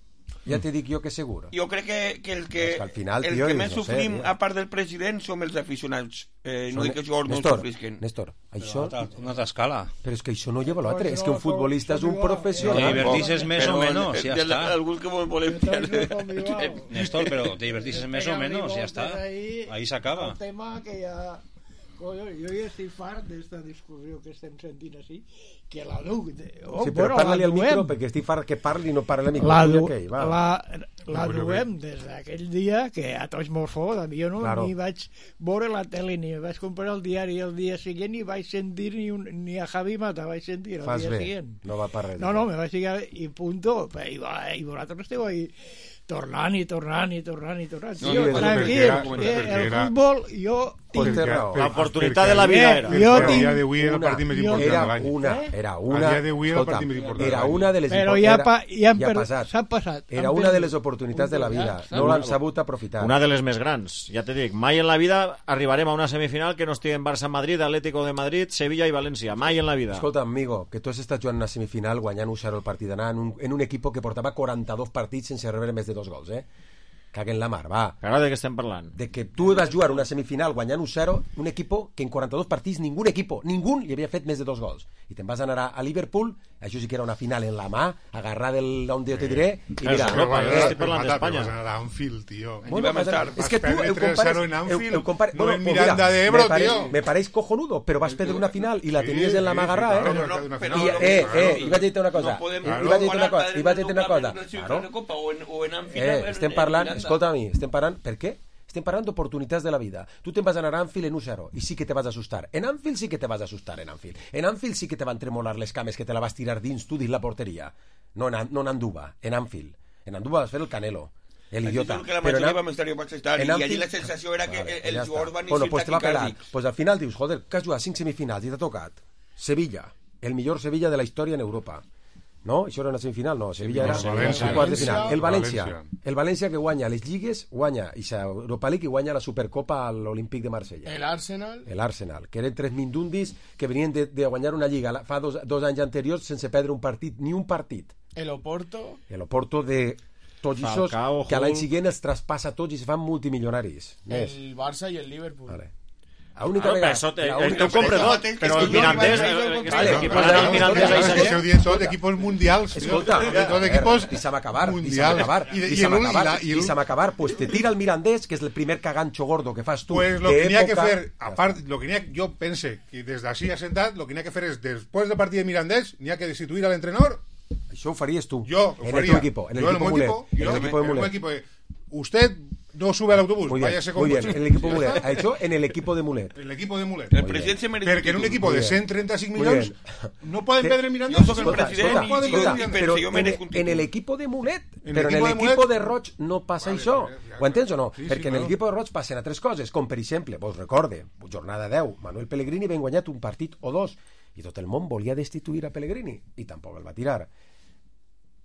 Ja t'he dit jo que segur. Jo crec que el que més sofrim, a part del president, som els aficionats. No dic que els jugadors no sofrisquen. Néstor, això... Una escala. Però és que això no lleva l'altre, és que un futbolista és un professional. Te divertisses més o menys, ja està. Algú que volem perdre. Néstor, però te divertisses més o menys, ja està. Ahí s'acaba. El tema que ja... Jo ja estic fart d'esta discussió que estem sentint així, que la duc... Sí, però parla-li al micro, perquè estic fart que parli i no parla al micro. La duem des d'aquell dia que a tots mos fot, jo no ni vaig veure la tele, ni vaig comprar el diari el dia següent, ni vaig sentir ni a Javi Mata vaig sentir el dia següent. No va per res. No, me vaig ficar i punto, i vosaltres esteu ahí tornant. Tranquil, el futbol, jo tinc l'oportunitat de la vida era. A dia d'avui era el partit més important de l'any. Era una. A dia d'avui era el partit més important. Era una de les però s'ha passat. Era una de les oportunitats de la vida. No l'han sabut aprofitar. Una de les més grans. Ja te dic, mai en la vida arribarem a una semifinal que no estigui en Barça-Madrid, Atlético de Madrid, Sevilla i València. Mai en la vida. Escolta, amigo, que tu has estat jugant una semifinal guanyant 1-0 el partit d'anar en un equip que portava 42 partits sense rebre més de 2 gols, caguen la mar, va. Ara de què estem parlant? De que tu vas jugar una semifinal guanyant 1-0, un equip que en 42 partits ningú li havia fet més de 2 gols. I te'n vas anar a Liverpool, això sí que era una final en la mà, agarrar on te diré, i mira... estic parlant d'Espanya. Vas anar a Anfield, tio. És que tu ho compares... No en Miranda de Ebro, tio. Me pareix cojonudo, però vas perdre una final i la tenies en la mà agarrada, I vaig dir una cosa. Estem parlant... Escolta a mi, estem parlant... Per què? Estem parlant d'oportunitats de la vida. Tu te'n vas anar a Anfield en 1-0 i sí que te vas assustar. En Anfield sí que te vas assustar, en Anfield. En Anfield sí que te van tremolar les cames, que te la vas tirar dins tu, dins la porteria. No en Anduba, en Anfield. En Anduba vas fer el Canelo. L'idiota. Que la majoria vam estar i allí la sensació era que els jugadors van néixer taquicàrdics. Pues al final dius, joder, que has jugat 5 semifinals i t'ha tocat Sevilla, el millor Sevilla de la història en Europa. No? Això era una semifinal? No, Sevilla era un quart de final. El València que guanya les lligues, guanya Europa League i guanya la Supercopa a l'Olímpic de Marsella. L'Arsenal, que eren 3 mindundis que venien de guanyar una lliga fa dos anys anteriors sense perdre un partit, ni un partit. L'Oporto de tots aquests que a l'any següent els traspassa tots i se fan multimilionaris. El Barça i el Liverpool. Vale. L'única vegada... El teu compra tot, però el Mirandés... Esteu dient tot equipos mundials. Escolta, i s'ha acabar. Pues te tira el Mirandés, que és el primer cagancho gordo que fas tu. Pues lo que n'hi ha que fer, apart, jo pense que des d'ací assentat, lo que n'hi ha que fer és, després del partit de Mirandés, n'hi ha que destituir a l'entrenador. Això ho faries tu. Jo ho faria. En el equipo de Mulet. Usted no sube al autobús, váyase con coche. En el equipo de Mulet. Ha hecho en el equipo de Mulet. En el equipo de Mulet. El presidente se merece. Porque en un equipo de 135 millones no pueden pedir Miranda. Yo soy el presidente pero en el equipo de Mulet. Però en l'equip de Roig no passa això. Ho entens o no? Perquè en l'equip de Roig passen a 3 coses, com per exemple, vos recorde, jornada 10, Manuel Pellegrini ben guanyat un partit o 2, i tot el món volia destituir a Pellegrini, i tampoc el va tirar.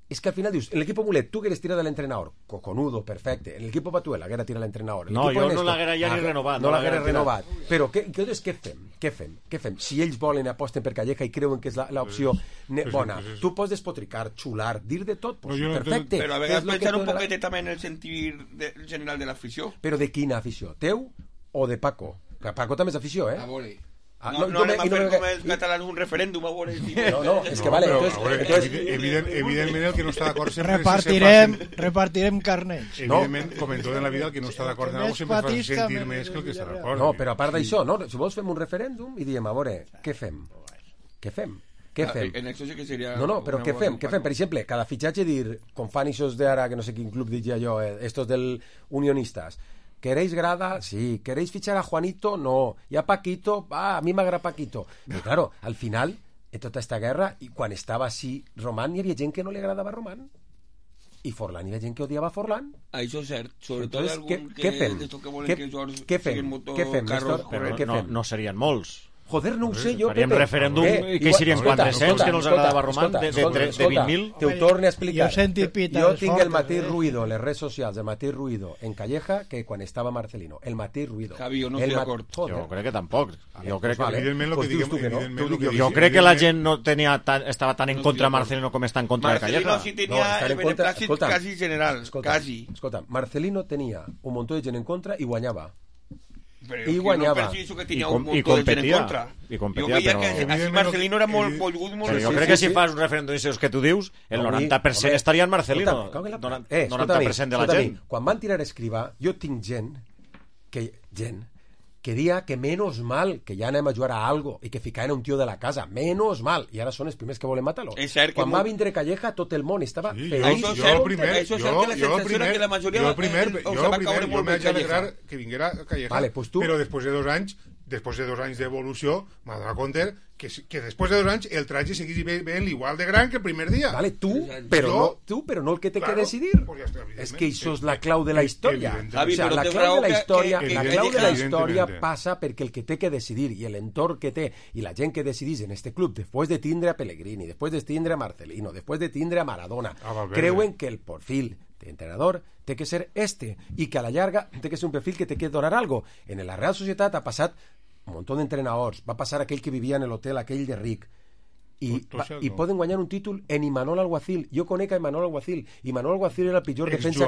És que al final dius, en l'equip Mulet tu hagueres tirat de l'entrenador, cojonudo, perfecte, en l'equip Batuel l'haguera tirat l'entrenador. No, jo no l'haguera ja ni renovat. No l'haguera renovat. Però què fem? Si ells volen, aposten per Calleja i creuen que és l'opció bona, tu pots despotricar, xular, dir de tot, perfecte. Però a vegades pensar un poquet també en el sentir general de l'afició. Però de quina afició? Teu o de Paco? Paco també és afició, A vole. No anem a fer com els catalans un referèndum a veure. No, és que vale. Evidentment el que no està d'acord sempre repartirem carnets. Evidentment, com en tot en la vida, el que no està d'acord en alguna cosa sempre fa sentir més que el que està d'acord. No, però a part d'això, si vols fem un referèndum i diem, a veure, què fem? En això sí que seria... No, però què fem? Per exemple, cada fitxatge dir, com fan ixos d'ara, que no sé quin club diria jo, estos del Unionistas, ¿queréis grada? Sí. ¿Queréis fichar a Juanito? No. ¿Y a Paquito? A mí m'agrada Paquito. Però claro, al final, en tota esta guerra, i quan estava així Román, hi havia gent que no li agradava a Román. I Forlán, hi havia gent que odiava a Forlán. Això és cert. Sobretot algun què fem? Què fem, Néstor? No serien molts. Joder, no ho sé jo, Faríem referèndum i que hi serien 400, que no els agradava Roman, de 20.000. Te ho torne a explicar. Jo tinc el mateix ruïdo en les redes socials, el mateix ruïdo en Calleja que quan estava Marcelino. El mateix ruïdo. Javi, jo no estic d'acord. Jo crec que tampoc. Jo crec que... Jo crec que la gent no estava tan en contra de Marcelino com està en contra de Calleja. Marcelino sí tenia el beneplàcit quasi general. Escolta, Marcelino tenia un munt de gent en contra i guanyava. Però i guanyava i competia, jo veia que així Marcelino era molt volgut, jo crec que si fas un referèndum i que tu dius el 90% estaria en Marcelino, 90% de la gent. Quan van tirar Escrivà, jo tinc gent que dia que menos mal que ja anem a jugar a algo i que ficaven un tio de la casa, menos mal, i ara són els primers que volen matar-lo. Quan va vindre Calleja tot el món estava feliç. Jo el primer jo m'haig alegrar que vinguera Calleja, però després de 2 anys d'evolució m'ha donat compte que després de 2 anys el traje seguís ben igual de gran que el primer dia. Vale, tu, però no el que té que decidir. És que això és la clau de la història. La clau de la història passa perquè el que té que decidir i l'entorn que té i la gent que decidís en este club, després de tindre a Pellegrini, després de tindre a Marcelino, després de tindre a Maradona, creuen que el perfil d'entrenador té que ser i que a la llarga té que ser un perfil que té que donar algo. En la Real Societat ha passat un munt d'entrenadors, va passar aquell que vivia en l'hotel aquell de ric i poden guanyar un títol en Imanol Alguacil. Jo conec a Imanol Alguacil. Imanol Alguacil era el pitjor defensa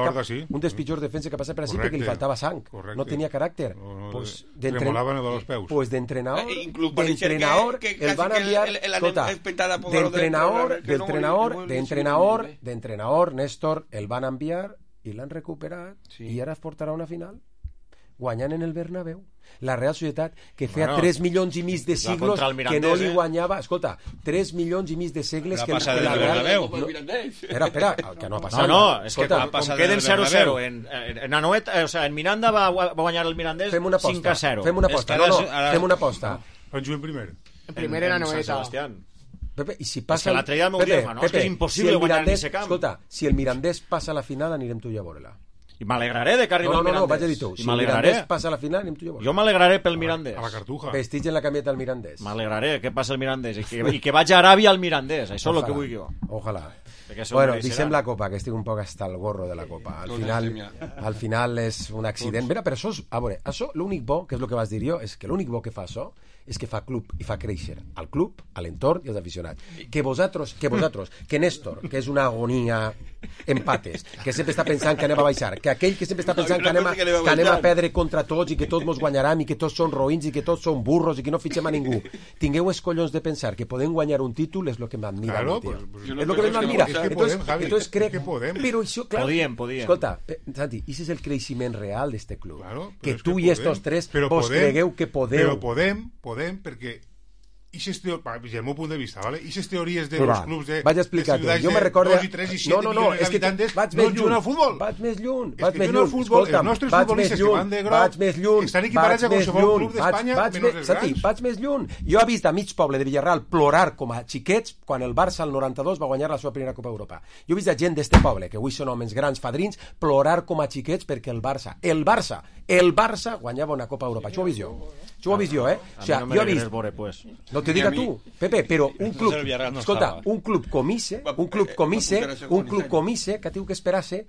un dels pitjors defensa que passa per així perquè li faltava sang, no tenia caràcter. Tremolaven els peus. Pues d'entrenador el van enviar d'entrenador Néstor el van enviar i l'han recuperat i ara es portarà una final guanyant en el Bernabéu. La Real Societat, que feia 3 milions i mig de siglos que no li guanyava... Escolta, 3 milions i mig de segles que la Real... Espera, que no ha passat. No, és que com queden 0-0 en Anoeta, o sigui, en Miranda va guanyar el Mirandès 5-0. Fem una aposta. Fem una aposta. On juguem primer? En primer en Anoeta. Pepe, i si passa... És que l'altre dia m'ho diu, no? És que és impossible guanyar en aquest camp. Escolta, si el Mirandès passa a la final anirem tu i a veure-la. I m'alegraré de que arribi el Mirandès. No, vaig a dir tu. Si el Mirandès passa a la final, anem tu i jo. Jo m'alegraré pel Mirandès. A la Cartuja. Vestits en la camiseta del Mirandès. M'alegraré que passa el Mirandès i que vaig a Aràbia al Mirandès. Això és el que vull jo. Ojalà. Bueno, deixem la Copa, que estic un poc hasta el gorro de la Copa. Al final és un accident. Mira, però això és... A veure, això, l'únic bo, que és el que vas dir jo, és que l'únic bo que fa això és que fa club i fa créixer al club, a l'entorn i als aficionats. Que vosaltres, que Néstor, que és una agonia empates, que sempre està pensant que anem a baixar, que aquell que sempre està pensant que anem a perdre contra tots i que tots mos guanyaran i que tots són roïns i que tots són burros i que no fitxem a ningú. Tingueu els collons de pensar que podem guanyar un títol és el que m'admira. És el que m'admira. Entonces crec que podem. Però això, clar, podíem. Escolta, Santi, i és el creixement real d'este club. Que tu i estos tres vos cregueu que podeu. Però podem perquè des del meu punt de vista, ¿vale? I aquestes teories de los clubs de ciutats de 2 i 3 i 7 milions d'habitants no juguen al futbol. Vaig més lluny. Els nostres futbolistes que van de groc estan equiparats a qualsevol club d'Espanya menys els grans. Vaig més lluny. Jo he vist a mig poble de Villarreal plorar com a xiquets quan el Barça al 92 va guanyar la seva primera Copa Europa. Jo he vist a gent d'este poble, que avui són homes grans, fadrins, plorar com a xiquets perquè el Barça guanyava una Copa Europa. Això ho he vist jo. Això ho he vist jo, eh? O sigui, jo he vist... No te diga tu, Pepe, però un club... Escolta, un club comise, que teniu que esperar-se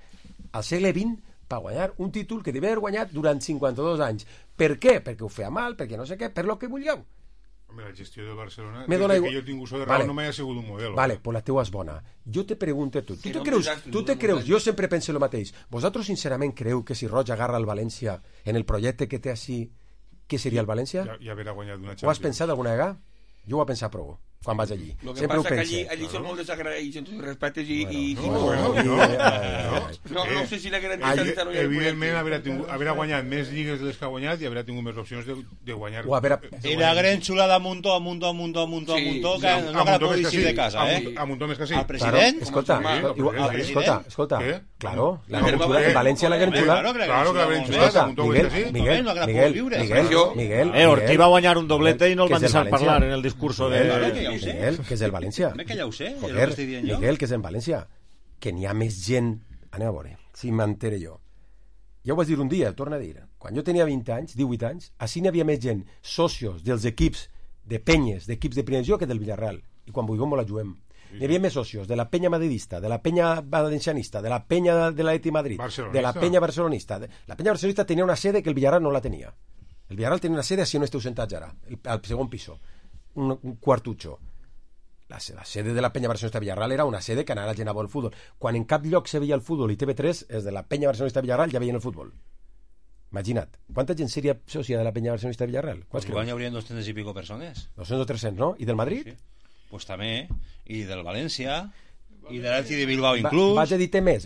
al segle XX per guanyar un títol que devia haver guanyat durant 52 anys. Per què? Perquè ho feia mal, perquè no sé què, per lo que vulgueu. La gestió del Barcelona, que jo tinc uso de raó, no m'ha sigut un model. Vale, pues la teua és bona. Jo te pregunto, tu te creus, jo sempre penso el mateix, vosaltres sincerament creu que si Roig agarra el València en el projecte que té així, què seria el València? Ja haurà guanyat una Champions. Ho has pensat alguna vegada? Jo ho he pensat prou quan vaig allí. Lo que passa que allí són molt desagraïts en tots respectes i... No sé si la garantia... Evidentment haurà guanyat més lligues de les que ha guanyat i haurà tingut més opcions de guanyar. I la gran xulada Muntó, que no la pugui eixir de casa, eh? A Muntó més que sí. Al president? Escolta, claro, en València la gran xulada. Claro que la gran xulada. Miguel. Ortiz va guanyar un doblete i no el van deixar parlar en el discurso de... Miguel, que és el València. Que ja ho sé. Joder, Miguel, que és en València. Que n'hi ha més gent... Anem a veure, si m'entere jo. Ja ho vaig dir un dia, el torno a dir. Quan jo tenia 20 anys, 18 anys, així n'hi havia més gent, socios dels equips de penyes, d'equips de primera divisió que del Villarreal. I quan vulguem la juguem. Hi havia més socios, de la penya madridista, de la penya valencianista, de la penya de l'Atleti Madrid, de la penya barcelonista. La penya barcelonista tenia una sede que el Villarreal no la tenia. El Villarreal tenia una sede si no esteu sentats ara, al segon piso, un quartucho. La sede de la penya barcelonista Villarreal era una sede que anava gent a veure el futbol. Quan en cap lloc se veia el futbol i TV3, és de la penya barcelonista Villarreal ja veien el futbol. Imagina't, quanta gent seria sòcia de la penya barcelonista Villarreal? Pues igual hi haurien 200 i pico persones. 200 o 300, no? I del Madrid? Sí. Pues també, i del València, i de l'Atleti de Bilbao inclús. Vaig a dir-te més.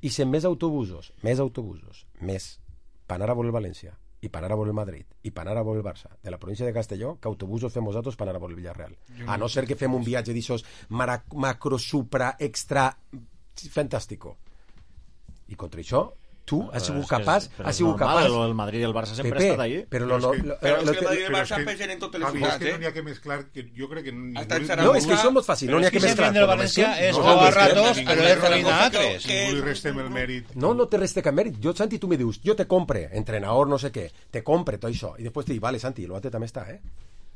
I sem més autobusos, més, per anar a veure el València, i per anar a veure el Madrid, i per anar a veure el Barça, de la província de Castelló, que autobusos fem nosaltres per anar a veure el Villarreal. A no ser que fem un viatge d'aixòs macro, supra, extra, fantàstico. I contra això, tu has sigut capaç... El Madrid i el Barça sempre ha estat allí. Però és que el Madrid i el Barça pesen en totes les jugades, que no n'hi ha que mesclar, que jo crec que... No, és que això és molt fàcil, no n'hi ha que mesclar. Però és que és jugar a ratos, però és ruïna a altres. Ningú li restem el mèrit. No te reste cap mèrit. Jo, Santi, tu me dius, jo te compre, entrenador, no sé què, te compre tot això, i després te dic, vale, Santi, l'altre també està,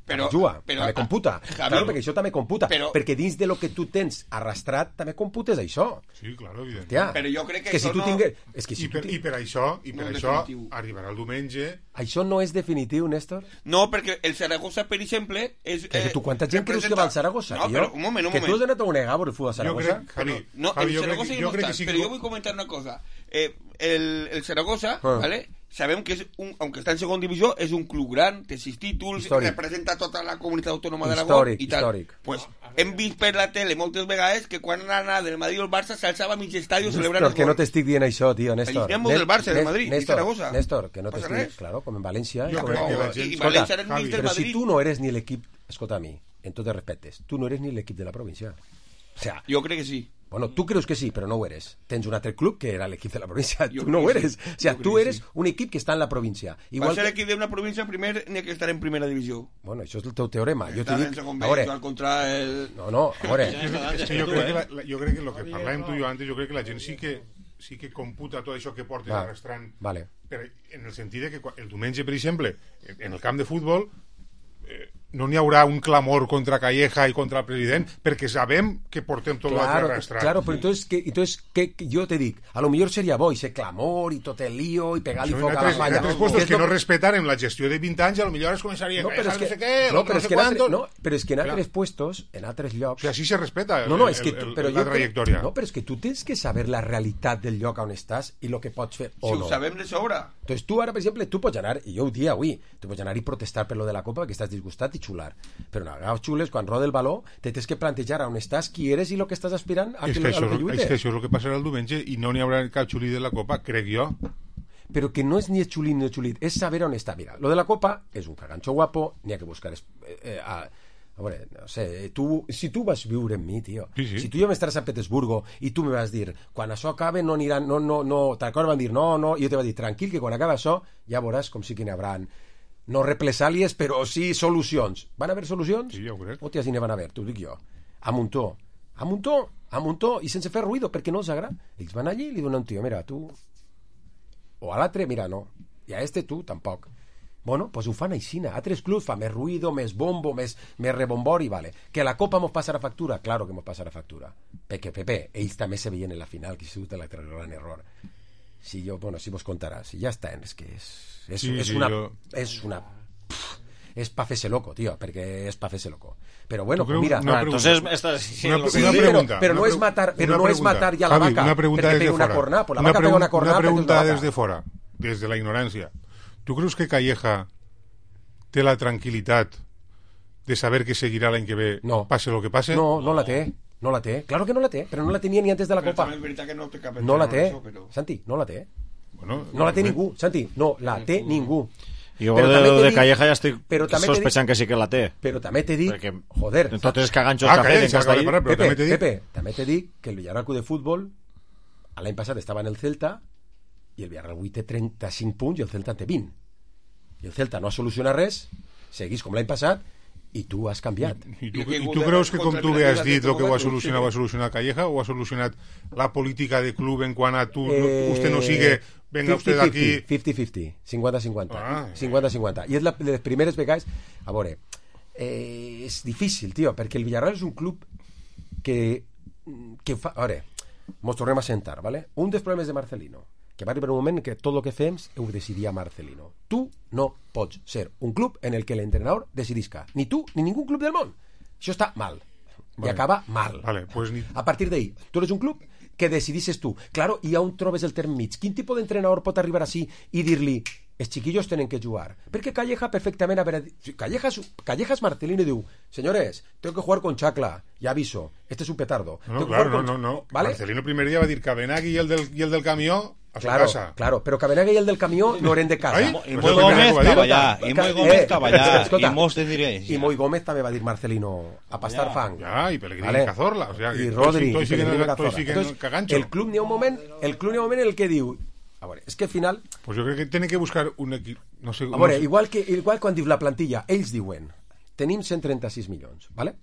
Però també computa. Claro, perquè això també computa. Perquè dins de lo que tu tens arrastrat també computes això. Sí, claro, evident. Però jo crec que això no... I per això arribarà el diumenge... Això no és definitiu, Néstor? No, perquè el Saragossa, per exemple... Tu quanta gent creus que va al Saragossa? No, però un moment. Que tu has anat a un egà per el futbol al Saragossa? No, el Saragossa hi no està, però jo vull comentar una cosa. El Saragossa, ¿vale? Sabem que aunque está en segunda división, es un club gran, té 6 títols, representa tota la comunitat autònoma d'Aragó i tal. Pues hem vist per la tele moltes vegades que quan anava del Madrid o el Barça s'alçava mig estadi celebrant el gol. Que no t'estic dient això, tio, Néstor. Fem del Barça, del Madrid i Saragossa. Néstor, que no t'estic dient, claro, com en València. I València era mig del Però Madrid. si tu no eres ni l'equip, escolta a mi, en tots els respectes, tu no eres ni l'equip de la província. O sea, jo crec que sí. Bueno, tú crees que sí, pero no ho eres. Tens un altre club que era l'equip de la província. Tu no ho eres. Sí. O sea, tú eres un equip que està en la província. Igual per ser equip d'una província, primer n'hi ha que estar en primera divisió. Bueno, això és el teu teorema. Jo t'ho dic... Al contra el... No, a veure... Jo crec que el que parlàvem tu i jo antes, jo crec que la gent sí que computa tot això que portes arrastrant. Vale. En el sentit de que el diumenge, per exemple, en el camp de futbol... no n'hi haurà un clamor contra Calleja i contra el president, perquè sabem que portem tot l'altre arrastrat. Claro, però entonces que jo te dic, a lo millor seria bo ese clamor i tot el lío i pegar-li foc a la falla. En altres puestos que no respetaren la gestió de 20 anys, a lo millor es començaria però és que en altres puestos, en altres llocs... O sigui, així se respeta la trajectòria. No, però és que tu tens que saber la realitat del lloc on estàs i el que pots fer o no. Si ho sabem de sobra. Entonces tu ara, per exemple, tu pots anar, i jo ho dic avui, tu pots anar i protestar per lo de la Copa perquè estàs disgustat i xular. Però en agaus xules, quan roda el baló, te tens que plantejar on estàs, qui eres i el que estàs aspirant a lo que lluites. És que això és el que passarà el diumenge i no n'hi haurà cap xulí de la Copa, crec jo. Però que no és ni xulit ni xulit, és saber on està. Mira, lo de la Copa és un caganxo guapo, n'hi ha que buscar... a veure, no sé, si tu vas viure amb mi, tio, si tu ja m'estaràs a Petersburgo i tu me vas dir, quan això acabe no aniran, t'acord van dir no, i jo te va dir, tranquil, que quan acaba això ja veuràs com sí que n'hi haurà no represàlies, però sí solucions. Van haver solucions? Sí, ja ho crec. Hòstia, si n'hi van haver, t'ho dic jo. A muntó, i sense fer ruïdo, perquè no els agrada. Ells van allí i li donen un tio, mira, tu... O a l'altre, mira, no. I a tu, tampoc. Bueno, pues ho fan aixina. Altres clubs fan més ruïdo, més bombo, més rebombori, vale. Que la Copa mos passa la factura? Claro que mos passa la factura. Perquè, Pepe, ells també se veien en la final, que ha sigut l'altre gran error. Si vos contarà, si ja està, és que és pa fer-se loco, tio, perquè és pa fer-se loco. Però bueno, mira, entonces però no és matar ja la vaca perquè pega una cornada, pues la vaca pega una cornada. Una pregunta desde fora, desde la ignorancia. ¿Tú crees que Calleja té la tranquilitat de saber que seguirà l'any que ve, pase lo que pase? No la té. No la té, claro que no la té, però no la tenia ni antes de la Copa. No la té, Santi, no la té. No la té ningú, Santi, no la té ningú. Jo de Calleja ja estic sospechant que sí que la té. Però també t'he dit, joder... Tots els caganxos que ha fet en Castellí. Pepe, també t'he dit que el Villarreal de futbol l'any passat estava en el Celta i el Villarreal avui té 35 punts i el Celta té 20. I el Celta no ha solucionat res, seguís com l'any passat i tu has canviat. I tu creus que, com tu bé has dit, el que ho ha solucionat Calleja, o ha solucionat la política de club en quant a tu, usted no sigue, venga usted aquí... 50-50, 50-50. 50-50. I és de les primeres vegades... A veure, és difícil, tio, perquè el Villarreal és un club que fa... A veure, mos tornem a sentar, ¿vale? Un dels problemes de Marcelino, que va arribar un moment que tot el que fem ho decidia Marcelino. Tu no pots ser un club en el que l'entrenador decidisca. Ni tu, ni ningú club del món. Això està mal. I acaba mal. Pues a partir d'ahí, tu eres un club que decidisses tu. Claro, i on trobes el terme mig? Quin tipus d'entrenador pot arribar així i dir-li els chiquillos tenen que jugar? Perquè Calleja perfectament... Callejas Marcelino diu, señores, tengo que jugar con Chacla, ya aviso, este es un petardo. No. ¿Vale? Marcelino el primer día va a dir Cabenagui y el del camió a su casa. Claro, pero Cabenagui y el del camió no eren de casa. I Moy Gómez estava allà, i Mos te diré. I Moy Gómez també va dir Marcelino a pastar fang. Ja, i Pellegrini Cazorla. I Rodri, i Pellegrini Cazorla. El club n'hi ha un moment en el que diu... A veure, és que al final... Pues jo crec que tenen que buscar un equip... No sé, a veure, igual quan dius la plantilla, ells diuen, tenim 136 milions, ¿vale?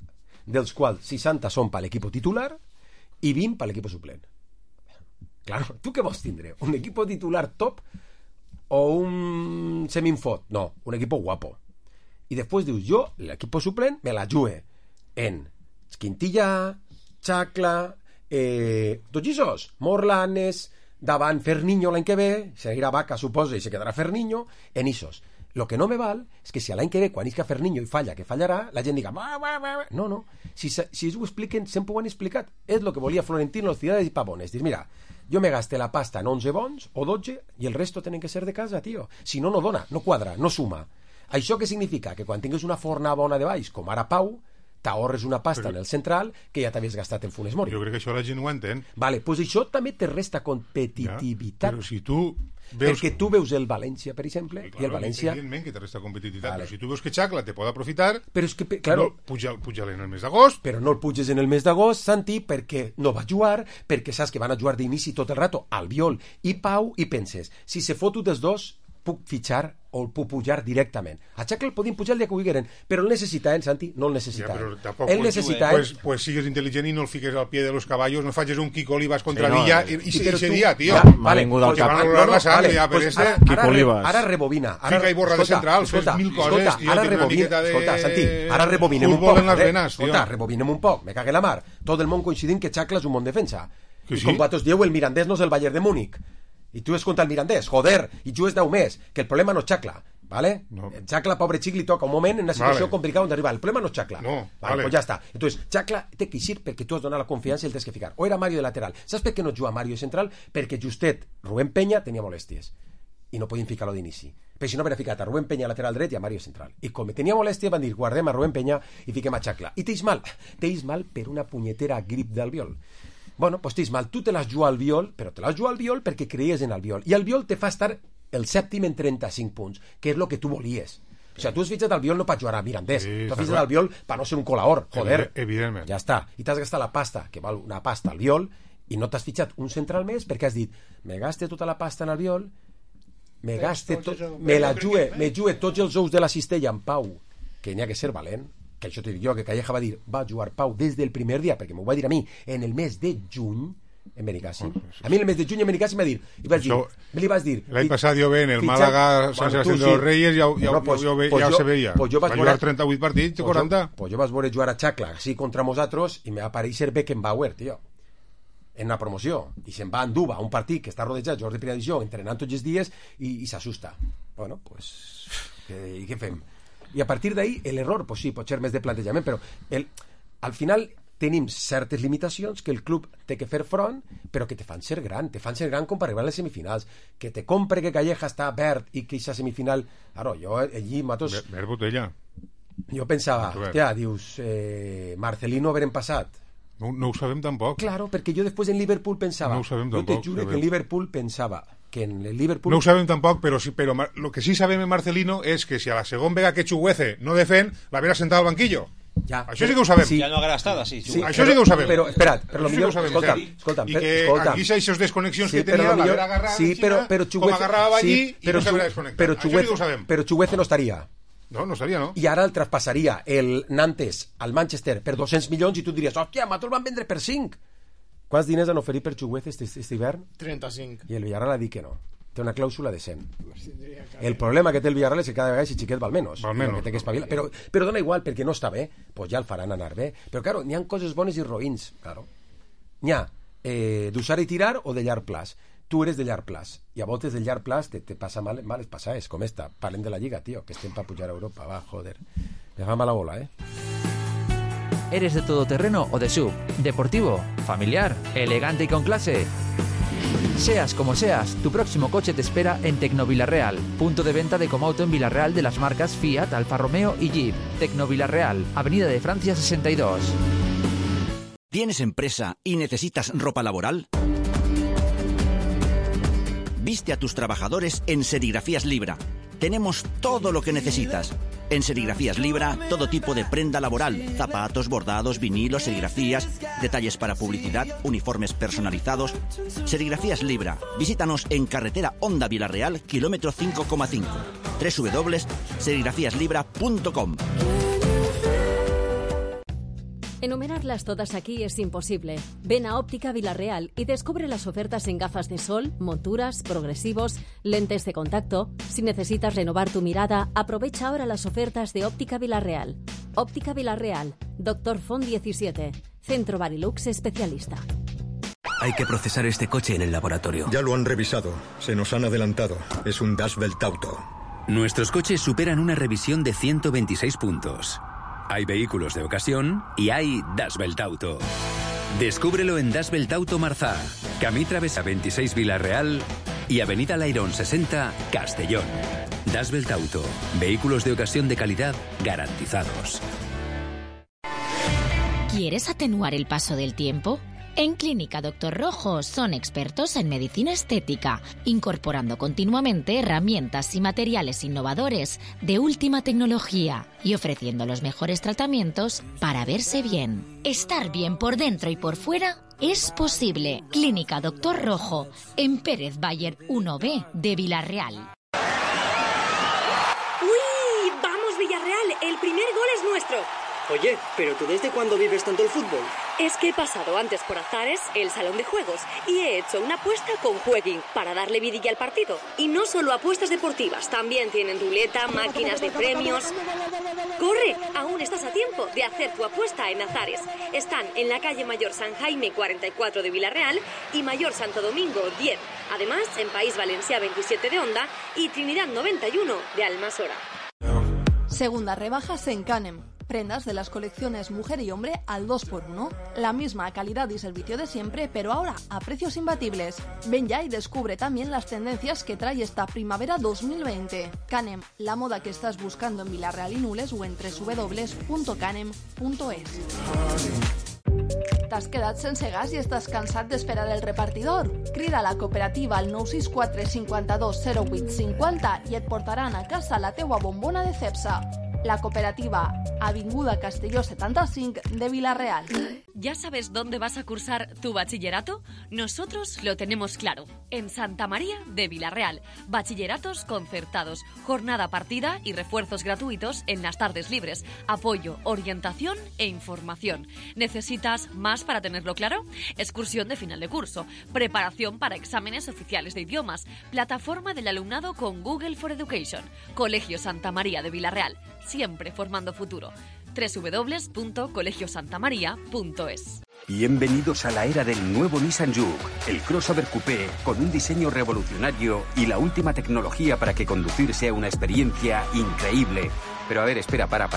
Dels quals 60 són per l'equip titular i 20 per l'equip suplent. Claro, tu què vols tindre? Un equip titular top o un seminfot? No, un equip guapo. I després dius, jo, l'equip suplent, me la jugue en Quintilla, Chacla, tots esos, Morlanes... davant Ferniño l'any que ve, seguirà Vaca, suposa, i se quedarà Ferniño, en isos. Lo que no me val és que si l'any que ve, quan isca Ferniño i falla, que fallarà, la gent diga... No. Si ells ho expliquen, sempre ho han explicat. És el que volia Florentino, los Ciudades y Pavones. Dir, mira, jo me gaste la pasta en 11 bons o 12 i el resto tenen que ser de casa, tio. Si no, no dona, no quadra, no suma. Això què significa? Que quan tingues una forna bona de baix, com ara Pau, t'ahorres una pasta en el central que ja t'havies gastat en Funes Mori. Jo crec que això la gent ho entén. Vale, pues això també te resta competitivitat. Però si tu veus... Perquè tu veus el València, per exemple, i el València... Evidentment que te resta competitivitat, vale. Però si tu veus que Chacla te pot aprofitar, però és que, claro, puja-le en el mes d'agost. Però no el puges en el mes d'agost, Santi, perquè no va jugar, perquè saps que van a jugar d'inici tot el rato Albiol i Pau, i penses, si se foto dels dos, puc fitxar o el puc pujar directament. A Chacla el podien pujar el dia que ho digueren, però el necessita, Santi? No el necessita. El necessita, pues sigues intel·ligent i no el fiques al pie de los caballos, no facis un Kiko Olivas contra Villa i se dia, tio. Vale, porque van a rolar la sangre ja per este. Kiko Olivas. Ara rebobina. Fica i borra de central, fes mil coses, tio. Escolta, Santi, ara rebobinem un poc. Escolta, rebobinem un poc, me cague la mar. Tot el món coincidint que Chacla és un bon defensa. I com vosaltres dieu, el Mirandés no és el Bayern de Múnich. I tu és contra el Mirandés, joder, i jugues 10 més, que el problema no és Chacla, ¿vale? No. Chacla, pobre xic, li toca un moment en una situació complicada on arribar, el problema no és Chacla. No, vale. Pues ja està. Entonces, Chacla té que eixir perquè tu has donat la confiança i el tens que ficar. O era Mario de lateral. Saps per què no juga Mario de central? Perquè justet Rubén Peña tenia molèsties i no podien ficar-lo d'inici. Però si no havia ficat a Rubén Peña lateral dret i a Mario central. I com tenia molèsties van dir, guardem a Rubén Peña i fiquem a Chacla. I t'eix mal per una punyetera grip d'Albiol. Bueno, pues t'eix mal, tu te l'has jugat al Viol, però te l'has jugat al Viol perquè creies en el Viol. I el Viol te fa estar el sèptim en 35 punts, que és el que tu volies. O sigui, tu has fitxat al Viol no per jugar a Mirandés, tu has fitxat al Viol per no ser un colaor, joder. Evidentment. Ja està. I t'has gastat la pasta, que val una pasta al Viol, i no t'has fitxat un central més perquè has dit, me gaste tota la pasta en el Viol, me la jugue tots els ous de la cistella en Pau, que n'hi ha que ser valent, que això t'ho dic jo, que Calleja va dir va jugar Pau des del primer dia, perquè m'ho va dir a mi en el mes de juny en Benicàssim. A mi en el mes de juny en Benicàssim me li vas dir l'any passat jo ve en el Màlaga San Sebastián de los Reyes ja se veia, va jugar 38 partits de 40. Pues jo vas veure jugar a Chacla així contra nosaltres i me va aparèixer Beckenbauer, tio, en una promoció, i se'n va a Anduba, un partit que està rodejat Jordi Piradisó entrenant tots els dies i s'assusta. Bueno, pues i què fem? I a partir d'ahí, l'error, pues sí, pot ser més de plantejament, però al final tenim certes limitacions que el club té que fer front, però que te fan ser gran com per arribar a les semifinals. Que te compre que Calleja està verd i que aquesta semifinal... Ara, jo allí matos... Verd botella. Jo pensava, hòstia, dius, Marcelino haver passat. No ho sabem tampoc. Claro, perquè jo després en Liverpool pensava... No ho sabem tampoc. Jo te juro que en Liverpool pensava... que en el Liverpool... No ho sabem tampoc, però lo que sí sabem en Marcelino és que si a la segona vega que Chuguece no defèn, l'haverà sentat al banquillo. Ja, això sí que ho sabem. Sí. Ja no haurà estat així. Sí, això sí que ho sabem. Però, espera't, però millor... Escolta'm. I que aquí s'ha desconnexions que tenia, l'haver agarrat com agarrava allí i no s'haurà desconnectat. Però Chuguece no estaria. No sabia, no? I ara el traspassaria el Nantes al Manchester per 200 milions i tu diries, hòstia, nosaltres el van vendre per 5. Quants diners han oferit per Chuguez aquest hivern? 35. I el Villarreal ha dit que no. Té una clàusula de 100. El problema que té el Villarreal és que cada vegada si xiquet val menys. Que té que espavilar. Però dona igual, perquè no està bé, pues ja el faran anar bé. Però, claro, n'hi ha coses bones i roïns. Claro. N'hi ha d'usar i tirar o de llarg plaç. Tu eres de llarg plaç. I a voltes de llarg plaç te passa males passades, com esta. Parlem de la Lliga, tio, que estem per pujar a Europa. Va, joder. Me fa mala bola, ¿Eres de todoterreno o de SUV? ¿Deportivo? ¿Familiar? ¿Elegante y con clase? Seas como seas, tu próximo coche te espera en Tecnovilarreal, punto de venta de Comauto en Villarreal de las marcas Fiat, Alfa Romeo y Jeep. Tecnovilarreal, Avenida de Francia 62. ¿Tienes empresa y necesitas ropa laboral? Viste a tus trabajadores en Serigrafías Libra. Tenemos todo lo que necesitas. En Serigrafías Libra, todo tipo de prenda laboral, zapatos, bordados, vinilos, serigrafías, detalles para publicidad, uniformes personalizados. Serigrafías Libra. Visítanos en carretera Honda Villarreal, kilómetro 5,5. www.serigrafíaslibra.com. Enumerarlas todas aquí es imposible. Ven a Óptica Villarreal y descubre las ofertas en gafas de sol, monturas, progresivos, lentes de contacto. Si necesitas renovar tu mirada, aprovecha ahora las ofertas de Óptica Villarreal. Óptica Villarreal, Dr. Font 17, Centro Barilux especialista. Hay que procesar este coche en el laboratorio. Ya lo han revisado. Se nos han adelantado. Es un Das Welt Auto. Nuestros coches superan una revisión de 126 puntos. Hay vehículos de ocasión y hay Das Welt Auto. Descúbrelo en Das Welt Auto Marzá, Camí Travesa 26 Villarreal y Avenida Lairón 60 Castellón. Das Welt Auto. Vehículos de ocasión de calidad garantizados. ¿Quieres atenuar el paso del tiempo? En Clínica Dr. Rojo son expertos en medicina estética, incorporando continuamente herramientas y materiales innovadores de última tecnología y ofreciendo los mejores tratamientos para verse bien. Estar bien por dentro y por fuera es posible. Clínica Dr. Rojo, en Pérez Bayer 1B de Villarreal. ¡Uy! ¡Vamos, Villarreal! El primer gol es nuestro. Oye, ¿pero tú desde cuándo vives tanto el fútbol? Es que he pasado antes por Azares, el salón de juegos, y he hecho una apuesta con Jueguin para darle vidilla al partido. Y no solo apuestas deportivas, también tienen ruleta, máquinas de premios. ¡Corre! Aún estás a tiempo de hacer tu apuesta en Azares. Están en la calle Mayor San Jaime 44 de Villarreal y Mayor Santo Domingo 10. Además, en País Valencia 27 de Onda y Trinidad 91 de Almasora. Segundas rebajas en Canem. Prendas de las colecciones mujer y hombre al 2x1. La misma calidad y servicio de siempre, pero ahora a precios imbatibles. Ven ya y descubre también las tendencias que trae esta primavera 2020. Canem, la moda que estás buscando en Villarreal y Nules o en www.canem.es. T'has quedat sense gas i estàs cansat d'esperar el repartidor? Crida a la cooperativa al 964 52 08 50 i et portaran a casa la teua bombona de Cepsa. La cooperativa Avinguda Castelló 75 de Villarreal. ¿Ya sabes dónde vas a cursar tu bachillerato? Nosotros lo tenemos claro. En Santa María de Villarreal. Bachilleratos concertados, jornada partida y refuerzos gratuitos en las tardes libres. Apoyo, orientación e información. ¿Necesitas más para tenerlo claro? Excursión de final de curso, preparación para exámenes oficiales de idiomas, plataforma del alumnado con Google for Education. Colegio Santa María de Villarreal. Siempre formando futuro. www.colegiosantamaria.es. Bienvenidos a la era del nuevo Nissan Juke, el crossover coupé con un diseño revolucionario y la última tecnología para que conducir sea una experiencia increíble. Pero a ver, espera, para.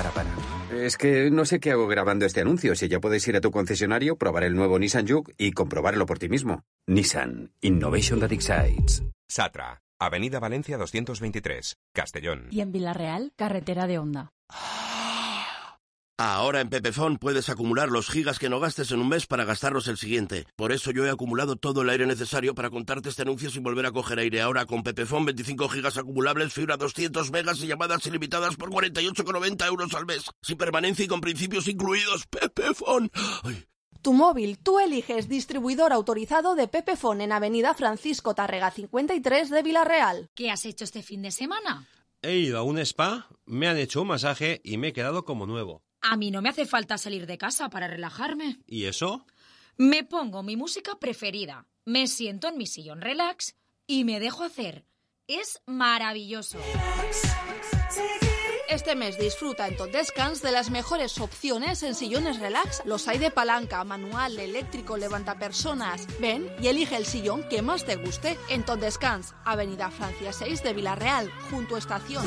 Es que no sé qué hago grabando este anuncio. Si ya puedes ir a tu concesionario, probar el nuevo Nissan Juke y comprobarlo por ti mismo. Nissan, Innovation that excites. Satra, Avenida Valencia 223, Castellón. Y en Villarreal, carretera de Onda. Ahora en Pepefon puedes acumular los gigas que no gastes en un mes para gastarlos el siguiente. Por eso yo he acumulado todo el aire necesario para contarte este anuncio sin volver a coger aire. Ahora con Pepefon 25 gigas acumulables, fibra 200 megas y llamadas ilimitadas por 48,90 € al mes. Sin permanencia y con principios incluidos. Pepefon. Ay. Tu móvil, tú eliges distribuidor autorizado de Pepefon en Avenida Francisco Tárrega 53 de Villarreal. ¿Qué has hecho este fin de semana? He ido a un spa, me han hecho un masaje y me he quedado como nuevo. A mí no me hace falta salir de casa para relajarme. ¿Y eso? Me pongo mi música preferida, me siento en mi sillón relax y me dejo hacer. Es maravilloso. Este mes disfruta en Tot Descans de las mejores opciones en sillones relax. Los hay de palanca, manual, eléctrico, levantapersonas. Ven y elige el sillón que más te guste en Tot Descans, Avenida Francia 6 de Villarreal, junto a Estación.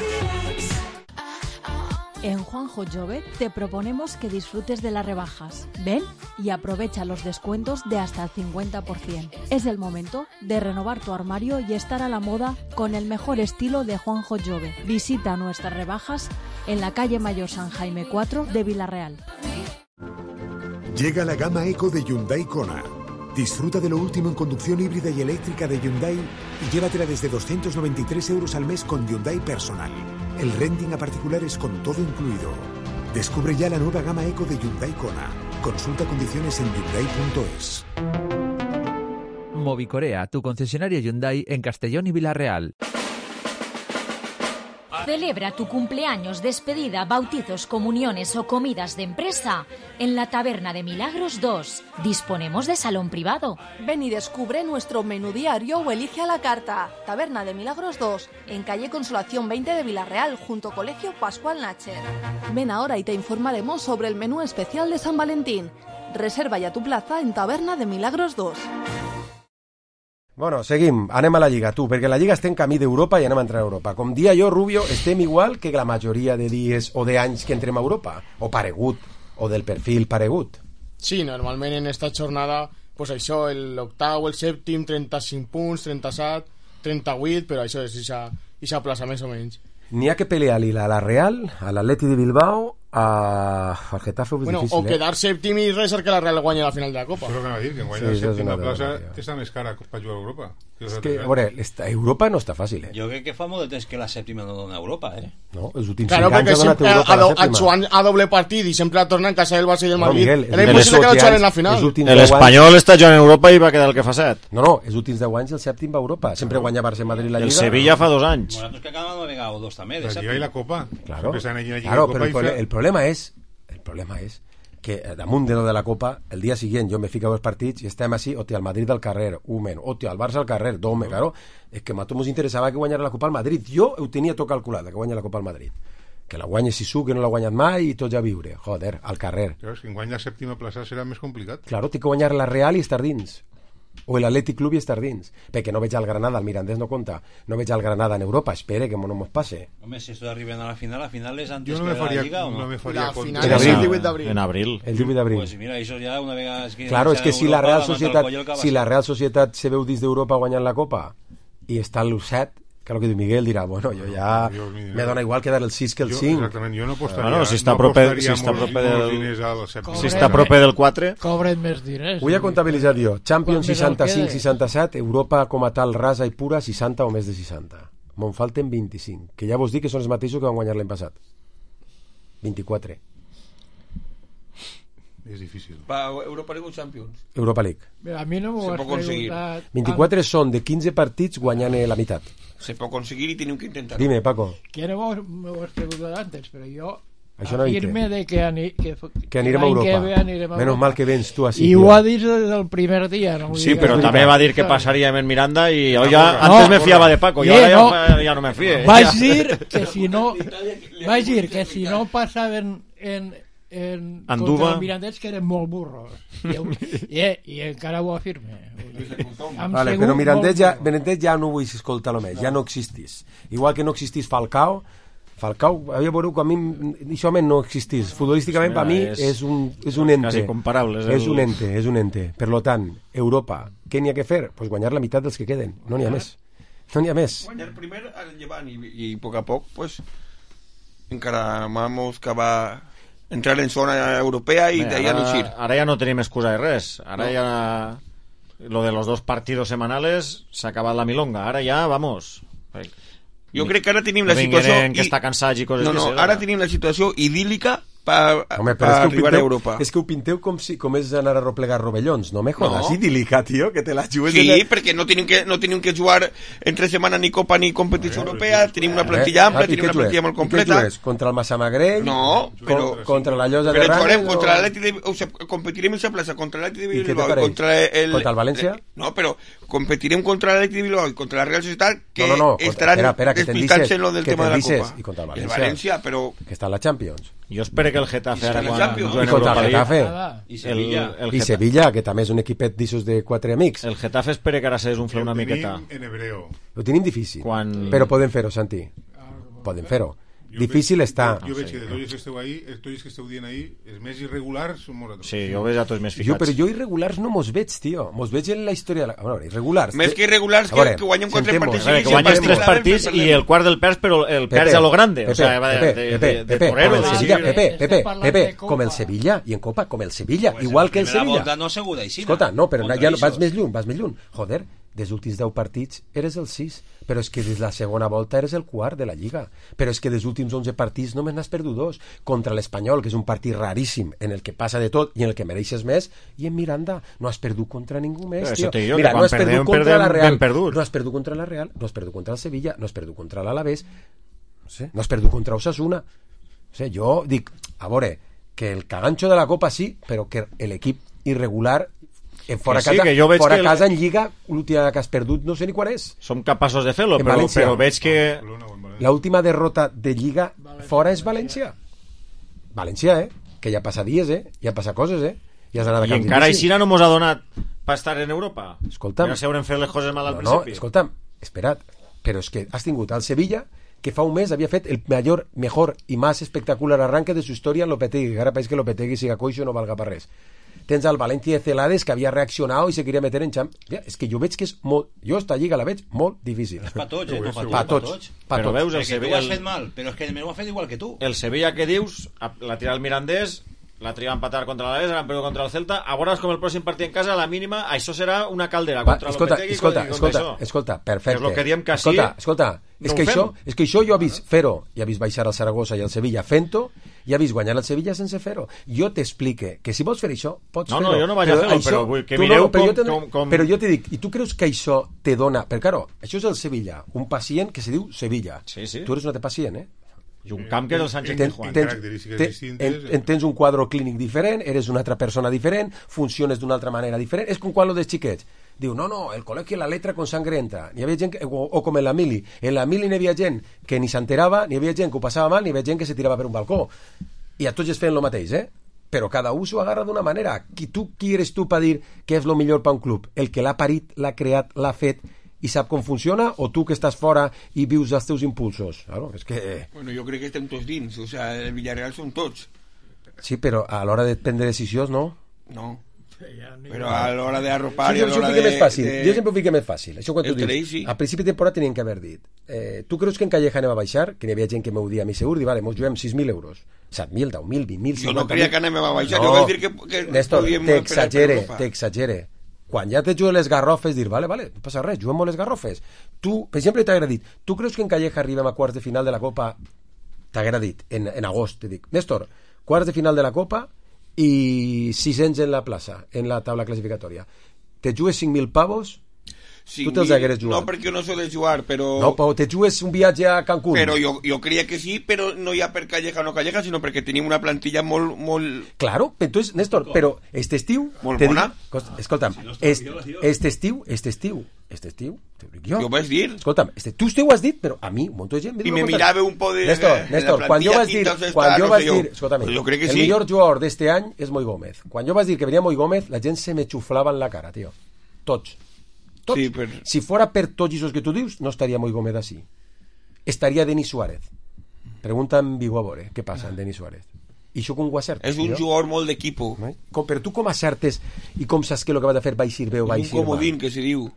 En Juanjo Jove te proponemos que disfrutes de las rebajas. Ven y aprovecha los descuentos de hasta el 50%. Es el momento de renovar tu armario y estar a la moda con el mejor estilo de Juanjo Jove. Visita nuestras rebajas en la calle Mayor San Jaime 4 de Villarreal. Llega la gama Eco de Hyundai Kona. Disfruta de lo último en conducción híbrida y eléctrica de Hyundai y llévatela desde 293 euros al mes con Hyundai Personal. El renting a particulares con todo incluido. Descubre ya la nueva gama Eco de Hyundai Kona. Consulta condiciones en hyundai.es. Movicorea, tu concesionario Hyundai en Castellón y Villarreal. Celebra tu cumpleaños, despedida, bautizos, comuniones o comidas de empresa en la Taberna de Milagros 2. Disponemos de salón privado. Ven y descubre nuestro menú diario o elige a la carta. Taberna de Milagros 2, en calle Consolación 20 de Villarreal, junto a Colegio Pascual Nacher. Ven ahora y te informaremos sobre el menú especial de San Valentín. Reserva ya tu plaza en Taberna de Milagros 2. Bueno, seguim, anem a la Lliga, tu, perquè la Lliga està en camí d'Europa i anem a entrar a Europa. Com dia jo, Rubio, estem igual que la majoria de dies o d'anys que entrem a Europa, o paregut, o del perfil paregut. Sí, normalment en esta jornada, pues això, l'octau, el sèptim, 35 punts, 37, 38, però això és ixa plaça més o menys. N'hi ha que pelear-li a la Real, a l'Atleti de Bilbao, al Getafe és difícil. O quedar sèptim i res que la Real guanya la final de la Copa. Però què va dir? Que guanya la sèptima plaça està més cara per jugar a Europa. És que, a veure, Europa no està fàcil, Jo crec que fa molt de temps que la sèptima no dona Europa, No, els últims 5 anys ha donat Europa la sèptima. A doble partit i sempre torna en casa del Barça i del Madrid. Era impossible que no juguen en la final. L'Espanyol està jugant en Europa i va quedar el que fa 7. No, els últims 10 anys el sèptim va a Europa. Sempre guanya Barça i Madrid la Lliga. El Sevilla fa 2 anys. Nosaltres que acabem una vegada o dos també. La Lliga i la Copa. Claro, però el problema és que damunt de lo de la Copa, el dia següent jo me fico a dos partits i estem així, hòstia, el Madrid al carrer, hòstia, el Barça al carrer, claro, és que a tots ens interessava que guanyara la Copa al Madrid. Jo ho tenia tot calculat, que guanya la Copa al Madrid. Que la guanya Sisu, que no l'ha guanyat mai, i tot ja viure. Joder, al carrer. Però si guanya la sèptima plaça serà més complicat. Claro, té que guanyar la Real i estar dins. O l'Atlètic Club i estar dins, perquè no veig al Granada, el Mirandés no compta, no veig al Granada en Europa, espere que no mos passe. Home, si esto arriben a la final és antes que la Lliga o no? Me faria la final és el 18 d'abril. En abril. El 18 d'abril. Pues mira, això ja una vegada... Claro, és que si la Real Societat se veu dins d'Europa guanyant la Copa i està al 7, que el que diu Miguel dirà, bueno, jo ja me dona igual quedar el 6 que el 5. Exactament, jo no apostaria, bueno, si està proper del 4 cobren més diners. Ho he comptabilitzat jo. Champions 65-67, Europa com a tal rasa i pura 60 o més de 60. Me'n falten 25, que ja vos dic que són els mateixos que van guanyar l'any passat. 24. És difícil. Europa League o Champions? Europa League. A mi no m'ho has preguntat. 24 són de 15 partits guanyant la meitat. Se pot aconseguir i tenim que intentar. Dime, Paco. Que no m'ho has preguntat antes, però jo afirme de que anirem a Europa. Menos mal que vens tu així. I ho ha dit des del primer dia. No? Sí, però també va dir que passaríem en Miranda i jo ja antes me fiava de Paco i ara ja no me fie. Vaig dir que si no passaven contra el Mirandés que eren molt burros i encara ho afirme. Vale, però Mirandés ja no vull escoltar-lo més, ja no existís, igual que no existís Falcao, havia veure que a mi això no existís futbolísticament, per mi és un ente, quasi comparable, és un ente. Per lo tant, Europa, què n'hi ha que fer? Pues guanyar la meitat dels que queden, no n'hi ha més. Guanyar primer al llevant i a poc a poc pues encara vamos que va entrar en zona europea y de ahí a luchir. Ara ja no tenim excusa de res. Ara ja lo de los 2 partidos semanales s'ha acabat la milonga. Ara ja, vamos. Jo crec que ara tenim la situació... que està cansat i coses ara tenim la situació idíl·lica arribar a Europa. És que ho pinteu com és anar a replegar rovellons, no me jodas, sí, dilicat, tio, que te la jugues... Sí, perquè no tenim que jugar entre setmana ni Copa ni competició europea, tenim una plantilla ampla, tenim una plantilla molt completa. I què jugues? Contra el Massamagrell? No, però... Contra la Llosa de Ranes? Contra l'Atlètic de... competirem en esa plaça contra l'Atlètic de Bilbao i contra el València? No, però competirem contra l'Atlètic de Bilbao i contra la Real Societat, que estaran explicant-se lo del tema de la Copa. I contra el València, però... Que està a la Champions. Jo espero que el Getafe ara i contra el Getafe i Sevilla, que també és un equipet d'issos de 4 amics. El Getafe espero que ara s'esumfla una miqueta. Ho tenim difícil, però podem fer-ho, Santi, podem fer-ho. Difícil està. Jo veig que de tots que esteu dient ahí, els més irregulars són moratons. Sí, jo veig a tots més ficats. Però jo irregulars no mos veig, tio. Mos veig en la història... A veure, irregulars... Més que irregulars que guanyem 4 partits. Que guanyes 3 partits i el quart del perds, però el perds a lo grande. O sea, de torero. Pepe, com el Sevilla, i en Copa, com el Sevilla, igual que el Sevilla. Escolta, no, però ja vas més lluny. Joder, des últims 10 partits eres el 6, però és que des la segona volta eres el quart de la Lliga, però és que des últims 11 partits només n'has perdut 2, contra l'Espanyol, que és un partit raríssim en el que passa de tot i en el que mereixes més, i en Miranda no has perdut contra ningú més, tio. Mira, no has perdut contra la Real, no has perdut contra la Real, no has perdut contra el Sevilla, no has perdut contra l'Alavés, no has perdut contra Osasuna. Jo dic, a veure, que el cagancho de la Copa sí, però que l'equip irregular fora casa en Lliga, l'última que has perdut no sé ni quan és. Som capaços de fer-lo, però veig que... L'última derrota de Lliga fora és València. València, que ja passa dies, ja passa coses, I encara així no mos ha donat per estar en Europa. Escolta'm. Ja s'haurem fet les coses mal al principi. No, escolta'm, espera't, però és que has tingut al Sevilla, que fa un mes había fet el mejor y más espectacular arranque de su historia en Lopetegui, que ara pareix que Lopetegui siga coixo no valga per res. Tens al València de Celades, que havia reaccionat i se queria meter en Champions. És que jo veig que és molt... Jo esta lliga la veig molt difícil. És pa tots, Pa tots. Però veus, el Sevilla... Tu ho has fet mal, però és que ho ha fet igual que tu. El Sevilla que dius, la tira el Mirandés, la tria a empatar contra l'Alavés, l'han perdut contra el Celta, a veure com el pròxim partit en casa, a la mínima, això serà una caldera contra l'Opetegui. Escolta, perfecte. És el que diem que sí... Escolta, és que això jo he vist fer-ho, i he vist baixar al Saragossa i al Sevilla fent-ho, i he vist guanyar el Sevilla sense fer-ho. Jo t'explique que si vols fer això, pots fer-ho. No, jo no vaig a fer-ho, però vull que mireu com... Però jo t'he dit, i tu creus que això te dona... Perquè, claro, això és el Sevilla, un pacient que se diu Sevilla. Sí. Tu eres un altre pacient, I un camp que és el Sánchez Pizjuán. Tens un quadre clínic diferent, eres una altra persona diferent, funciones d'una altra manera diferent. És com quan lo dels xiquets. Diu, no, el col·legi la letra con sangre entra. N'hi havia gent o com en la mili. En la mili n'hi havia gent que ni s'enterava, n'hi havia gent que ho passava mal, n'hi havia gent que se tirava per un balcó. I a tots es feien el mateix, Però cada un s'ho agarra d'una manera. Qui eres tu per dir què és el millor per un club? El que l'ha parit, l'ha creat, l'ha fet i sap com funciona, o tu que estàs fora i vius els teus impulsos? Claro, és que... Bueno, jo crec que estem tots dins, o sea, el Villarreal són tots. Sí, però a l'hora de prendre decisions, no? No. Però a l'hora d'arropar i a l'hora de... Jo sempre ho fico més fàcil. Això quan tu dius, a principi de temporada tenien que haver dit, tu creus que en Calleja anem a baixar? Que n'hi havia gent que m'ho dia a mi segur, i vale, mos juguem 6.000 euros. 7.000, 10.000, 20.000, 50.000... Jo no creia que anem a baixar, jo vaig dir que Néstor, t'exagere. Quan ja te juguen les garrofes, dir, vale, no passa res, juguem molt les garrofes. Tu, per exemple, t'haguera dit, tu creus que en Calleja arribem a quarts de final de la Copa? T'haguera dit, en agost, te dic, Néstor, quarts de final de la Copa i 600 en la plaça, en la taula classificatòria. Te jugues 5.000 pavos? Tu te'ls hagueres jugat. No, perquè no sols jugar, però... No, però te jugues un viatge a Cancún. Però jo creia que sí, però no ja per Calleja o no Calleja, sinó perquè tenim una plantilla molt... Claro, entonces, Néstor, però este estiu... Molt bona. Escolta'm, este estiu, te ho dic jo. Jo ho vaig dir. Escolta'm, tu ho has dit, però a mi, un munt de gent... I me mirava un poc de... Néstor, quan jo vaig dir... Escolta'm, jo crec que el millor jugador d'este any és Moi Gómez. Quan jo vaig dir que venia Moi Gómez, la gent se me xuflava en la cara, tio. Tots. Sí, si fora per tots esos que tu dius, no estaria Moi Gómez així. Estaria Denis Suárez. Pregunta en Vigo a veure què passa en Denis Suárez. I això com ho acertes? És un jugador molt d'equipo. Però tu com acertes i com saps que el que va de fer va eixir bé o va eixir mal? És un comodín que se diu.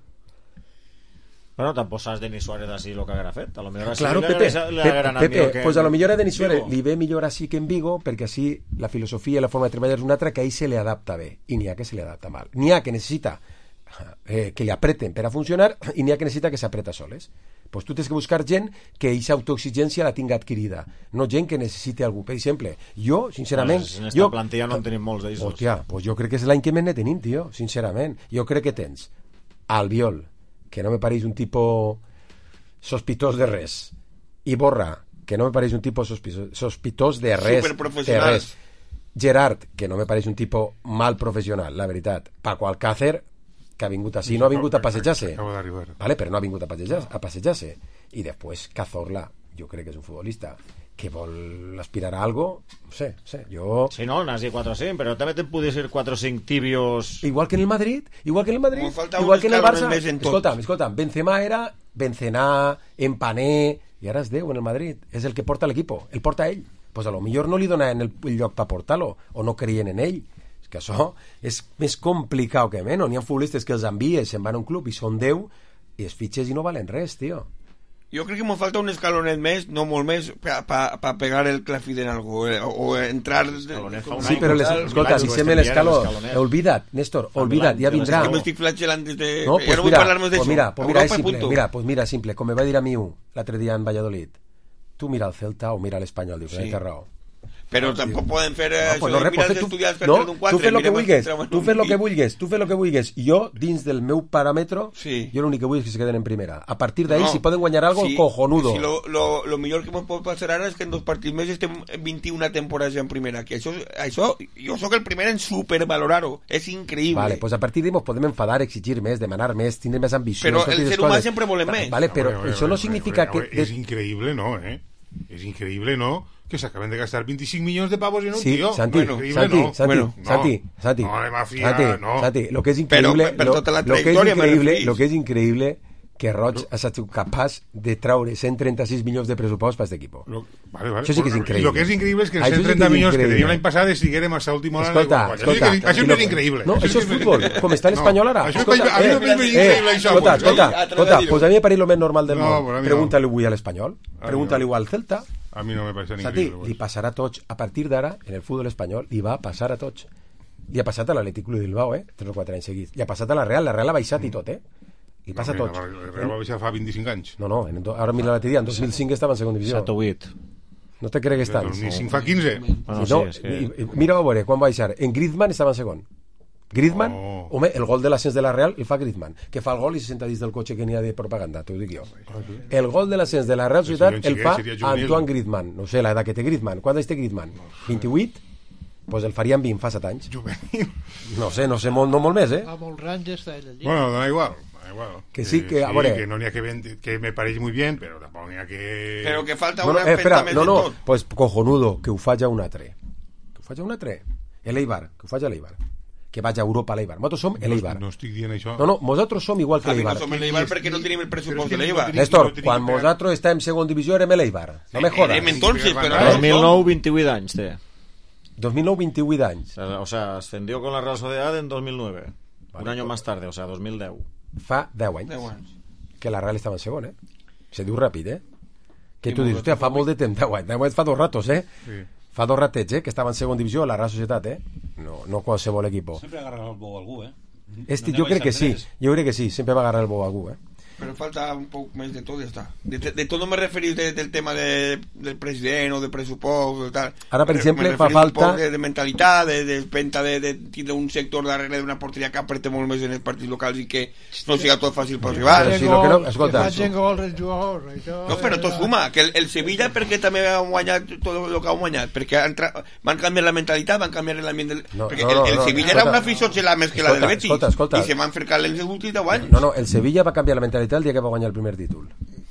Bueno, tampoc saps Denis Suárez així el que haguera fet. A lo millor claro, Pepe, pues a lo millor a Denis Suárez li ve millor així que en Vigo, perquè així la filosofia i la forma de treballar és una altra, que a ell se li adapta bé i n'hi ha que se li adapta mal. N'hi ha que necessita que li apreten per a funcionar i n'hi ha que necessita que s'apreta soles. Pues tu tens que buscar gent que aquesta autoexigència la tinga adquirida, no gent que necessiti algú. Per exemple, jo, sincerament... En esta plantilla no en tenim molts d'ells. Hòstia, pues jo crec que és l'any que més ne tenim, tio, sincerament. Jo crec que tens Albiol, que no me pareix un tipus sospitós de res, i Borra, que no me pareix un tipus sospitós de res. Superprofessional. Gerard, que no me pareix un tipus mal professional, la veritat. Paco Alcácer, que ha vingut així, no ha vingut a passejar-se, vale, però no ha vingut a passejar-se. I després Cazorla, jo crec que és un futbolista que vol aspirar a algo, no sé, jo... Sí, no, n'has dit 4 o 5, però també te podries dir 4 o 5 tibios... Igual que en el Madrid, igual que en el Barça. Escolta'm, Benzema era Benzema, Empané, i ara és Déu en el Madrid, és el que porta l'equip, el porta ell. Pues a lo millor no li donaven el lloc per portar-lo, o no creien en ell. És que això és més complicat que menys. N'hi ha futbolistes que els envies, se'n van a un club i són 10 i es fitxes i no valen res, tio. Jo crec que me falta un escalonet més, no molt més, per pegar el clafid en algú, o entrar... Sí, però escolta, deixem l'escaló. Olvida't, Néstor, olvida't, ja vindrà. Que m'estic flatgelant des de... No, pues mira, simple, com me va dir a mi l'altre dia en Valladolid. Tu mira el Celta o mira l'Espanyol, dius, té raó. Però tampoc poden fer estudiants per treure d'un 4. Tu fes el que vulguis. Jo, dins del meu paràmetre, jo l'únic que vull és que se queden en primera. A partir d'ahí, si poden guanyar algo, cojonudo. Lo millor que pot passar ara és que en 2 partits més estem 21 temporades en primera. Que això, jo sóc el primer en supervalorar-ho. És increïble. Vale, pues a partir d'ahí ens podem enfadar, exigir més, demanar més, tindre més ambició. Però el ser humà sempre volem més. Vale, però això no significa que... És increïble, no, És increïble, no? Que se acaben de gastar 25 millones de pavos en un tío. Santi, lo que es increíble que Roig ha sido capaz de traure 136 milions de pressupost per aquest equip. Vale. Això sí que és increïble. Lo que és increïble és que els 130 milions que teníem l'any passat estiguérem a l'última hora. Escolta. Això no és increïble. No, això és futbol, com està l'Espanyol ara. A mi no és increïble això. Escolta, pues a mi me pareix lo més normal del món. Pregúntale avui a l'Espanyol, pregúntale al Celta. A mi no me pareix increïble. Santi, li passarà a tots. A partir d'ara, en el futbol espanyol, li va passar a tots. Li ha passat a l'Atlètic Club de Bilbao, 3 o 4 anys seguits. Li ha passat a la Real ha baixat i tot, Li passa a tots. La Real va baixar fa 25 anys. No, ara mira l'altre dia, en 2005 estava en segona divisió. 7 o 8. No te cregues tant. 2005 fa 15. Mira, a veure, quan va baixar. En Griezmann estava en segon. Griezmann, home, el gol de l'ascens de la Real el fa Griezmann, que fa el gol i se senta dins del cotxe que n'hi ha de propaganda, t'ho dic jo. El gol de l'ascens de la Real Societat el fa Antoine Griezmann. No sé l'edat que té Griezmann. Quant anys té Griezmann? 28? Pues el farien 20 fa 7 anys. No sé, molt més, A Molrans està ell allí. Bueno, da igual. Que sí, que a veure... Que no n'hi ha que me pareix muy bien, però tampoc n'hi ha que... Però que falta una empenta més de tot. Pues cojonudo, que ho faig a un altre. L'Eibar, que ho faig a l'Eibar. Que vaig a Europa a l'Eibar. Nosaltres som l'Eibar. No estic dient això. No, nosaltres som igual que l'Eibar. No som l'Eibar perquè no tenim el pressupost de l'Eibar. Néstor, quan nosaltres estàvem en segona divisió érem l'Eibar. No me jodas. 2009, 28 anys té. 2009, 28 anys. O sea, ascendió con la Real Sociedad en 2009. Un año más tarde, o sea, 2010. Fa 10 anys. Que la Real estava en segon, Se diu ràpid, Que tu dius, hòstia, fa molt de temps, 10 anys. 10 anys fa 2 ratos, Sí. Fa 2 ratets, que estava en segona divisió a la Real Societat, no qualsevol equip. Sempre agarra el bou a algú, Jo crec que sí, sempre va agarrar el bou a algú, Pero falta un poco más de todo, ya está. De todo me referís del tema del presidente o de presupuesto, tal. Ahora, por ejemplo, fa falta de mentalitat, de venta de un sector darrere d'una porteria que aprete molt més en els partits locals i que no siga tot fàcil per arribar. No, però tot suma, que el Sevilla perquè també ha guanyat tot el que ha guanyat, perquè van canviar la mentalitat, van canviar l'ambient perquè el Sevilla era una afició més que la del Betis i se van fer calents els últims 10 anys. No, el Sevilla va canviar la mentalitat el dia que va guanyar el primer títol.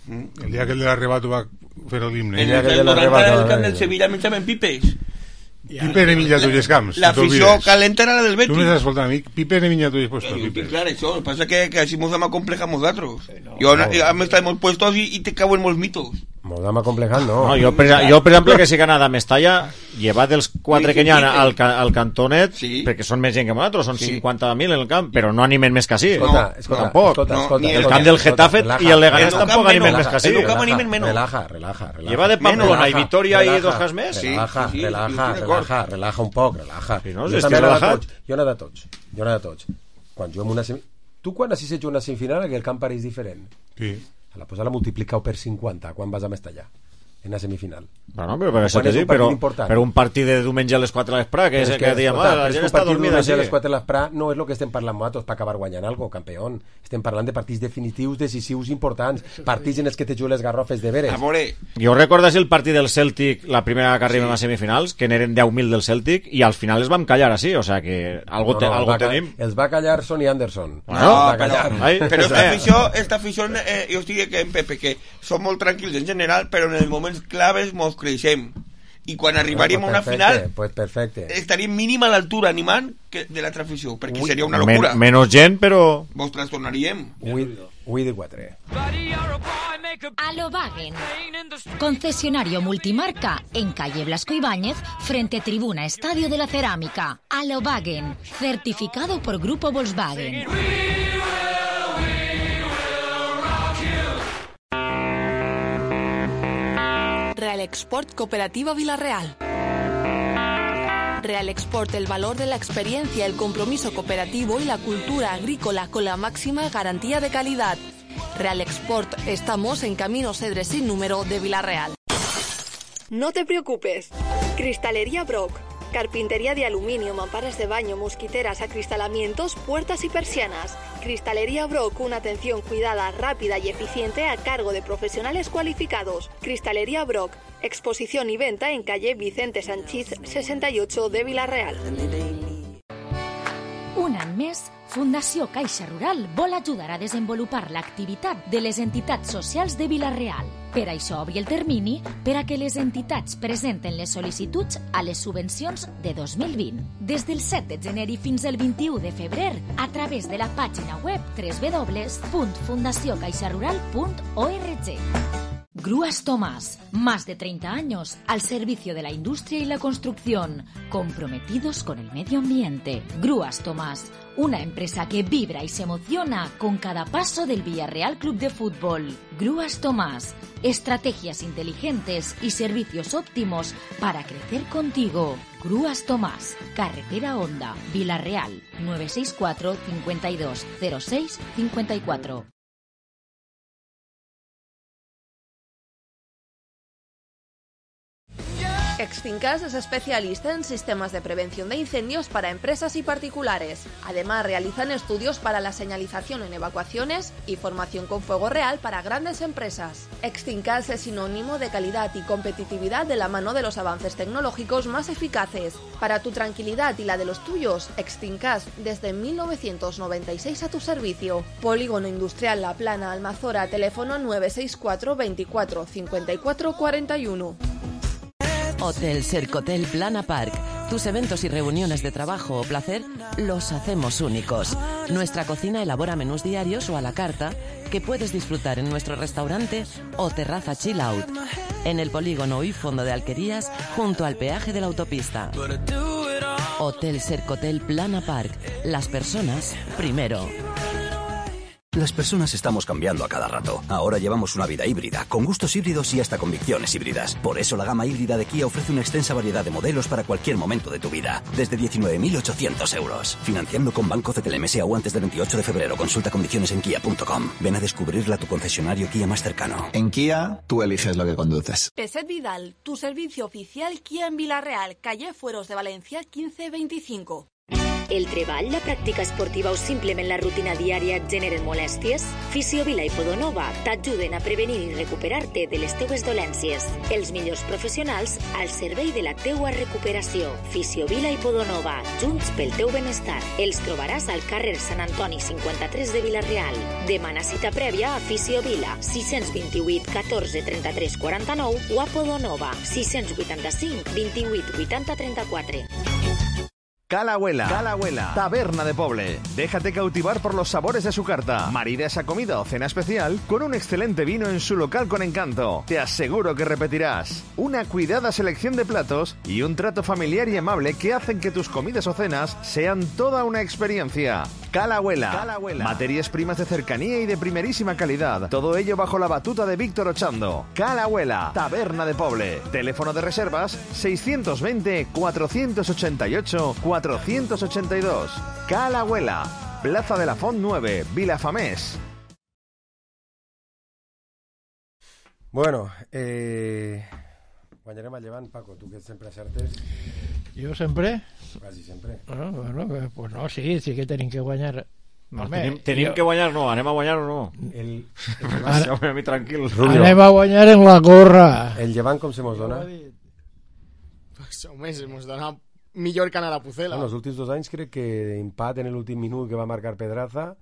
El dia que el de l'arrebato va fer l'himne. En el 90 el camp del Sevilla menjaven pipes. Pipe ne menja tots els camps. L'afició calenta era la del Betis. Tu m'estàs escoltant, amic? Pipe ne menja tots els puestos. Clar, això. El que passa que així mos hem acomplejat nosaltres. Jo hem estat molts puestos i te cauen molts mitos. Mos hem acomplejat, no. Jo, per exemple, que sí que anat a Mestalla, llevat els 4 que n'hi ha al cantonet, perquè són més gent que nosaltres, són 50.000 en el camp, però no animen més que així. Tampoc. El camp del Getafe i el Leganés tampoc animen més que així. Relaja. Lleva de Pamplona i Vitoria i dos cas més. Relaja un poc, relaja. Jo n'he de tots. Quan jo en una tu quan assisteixes a una semifinal que el camp pareix diferent. Sí. pues la multiplicau per 50 quan vas a Mestallà en la semifinal. Bueno, però això t'he dit, però un partit de diumenge a les 4 a l'Esprà, que diem, la gent està dormida. A les 4 a l'Esprà no és el que estem parlant nosaltres per acabar guanyant algo, campió. Estem parlant de partits definitius, decisius, importants, partits en els que te juguen les garrofes de veres. Jo recordes el partit del Celtic, la primera que arribem a semifinals, que n'eren 10.000 del Celtic, i al final es vam callar així, o sea que algo tenim. Els va callar Sonny Anderson. Però esta afició, jo estic que en Pepe, que som molt tranquils en general, però en els moments claves mos creixem i quan arribaríem a una final estaríem mínim a l'altura animant de l'altra afició, perquè seria una locura. Menys gent, però vos trastornaríem. Ui de 4. Alobagen, concesionario multimarca en calle Blasco Ibáñez frente Tribuna Estadio de la Cerámica. Alobagen, certificado por Grupo Volkswagen. Real Export Cooperativa Villarreal. Real Export, el valor de la experiencia, el compromiso cooperativo y la cultura agrícola con la máxima garantía de calidad. Real Export, estamos en Camino Cedres sin número de Villarreal. No te preocupes. Cristalería Brock. Carpintería de aluminio, mamparas de baño, mosquiteras, acristalamientos, puertas y persianas. Cristalería Brock, una atención cuidada, rápida y eficiente a cargo de profesionales cualificados. Cristalería Brock, exposición y venta en calle Vicente Sanchís 68 de Villarreal. Un any més, Fundació Caixa Rural vol ajudar a desenvolupar l'activitat de les entitats socials de Vila-real. Per això obri el termini per a que les entitats presenten les sol·licituds a les subvencions de 2020. Des del 7 de gener i fins al 21 de febrer, a través de la pàgina web www.fundaciocaixarural.org. Grúas Tomás, más de 30 años al servicio de la industria y la construcción, comprometidos con el medio ambiente. Grúas Tomás, una empresa que vibra y se emociona con cada paso del Villarreal Club de Fútbol. Grúas Tomás, estrategias inteligentes y servicios óptimos para crecer contigo. Grúas Tomás, Carretera Honda, Villarreal, 964 52 06 54. Extinkas es especialista en sistemas de prevención de incendios para empresas y particulares. Además, realizan estudios para la señalización en evacuaciones y formación con fuego real para grandes empresas. Extinkas es sinónimo de calidad y competitividad de la mano de los avances tecnológicos más eficaces. Para tu tranquilidad y la de los tuyos, Extinkas desde 1996 a tu servicio. Polígono Industrial La Plana, Almazora, teléfono 964 24 54 41. Hotel Sercotel Plana Park. Tus eventos y reuniones de trabajo o placer los hacemos únicos. Nuestra cocina elabora menús diarios o a la carta que puedes disfrutar en nuestro restaurante o terraza chill out. En el polígono y fondo de Alquerías, junto al peaje de la autopista. Hotel Sercotel Plana Park. Las personas primero. Las personas estamos cambiando a cada rato. Ahora llevamos una vida híbrida, con gustos híbridos y hasta convicciones híbridas. Por eso la gama híbrida de Kia ofrece una extensa variedad de modelos para cualquier momento de tu vida. Desde 19.800 euros. Financiando con Banco CTLM o antes del 28 de febrero. Consulta condiciones en kia.com. Ven a descubrirla a tu concesionario Kia más cercano. En Kia, tú eliges lo que conduces. Peset Vidal, tu servicio oficial Kia en Villarreal, calle Fueros de Valencia 1525. El treball, la pràctica esportiva o simplement la rutina diària et generen molèsties? Fisiovila i Podonova t'ajuden a prevenir i recuperar-te de les teues dolències. Els millors professionals al servei de la teua recuperació. Fisiovila i Podonova, junts pel teu benestar. Els trobaràs al carrer Sant Antoni 53 de Vila-real. Demana cita prèvia a Fisiovila 628 14 33 49 o a Podonova 685 28 80 34. Cala Abuela, taberna de Poble. Déjate cautivar por los sabores de su carta. Marida esa comida o cena especial con un excelente vino en su local con encanto. Te aseguro que repetirás. Una cuidada selección de platos y un trato familiar y amable que hacen que tus comidas o cenas sean toda una experiencia. Cala Abuela. Materias primas de cercanía y de primerísima calidad. Todo ello bajo la batuta de Víctor Ochando. Cala Abuela, taberna de Poble. Teléfono de reservas 620 488 482. Cala Abuela, Plaza de la Font 9, Vilafamés. Bueno, guanyarem el Llevant, Paco, tu que sempre acertes. Jo sempre? Quasi sempre. Bueno, pues no, sí que tenim que guanyar. No, tenim que guanyar, no, anem a guanyar o no? A mi tranquil. Anem a guanyar en la gorra. El Llevant com se mos dona? Pues, home, se mos dona millor que anar a Pucela. En els últims 2 anys crec que empat en l'últim minut que va marcar Pedraza.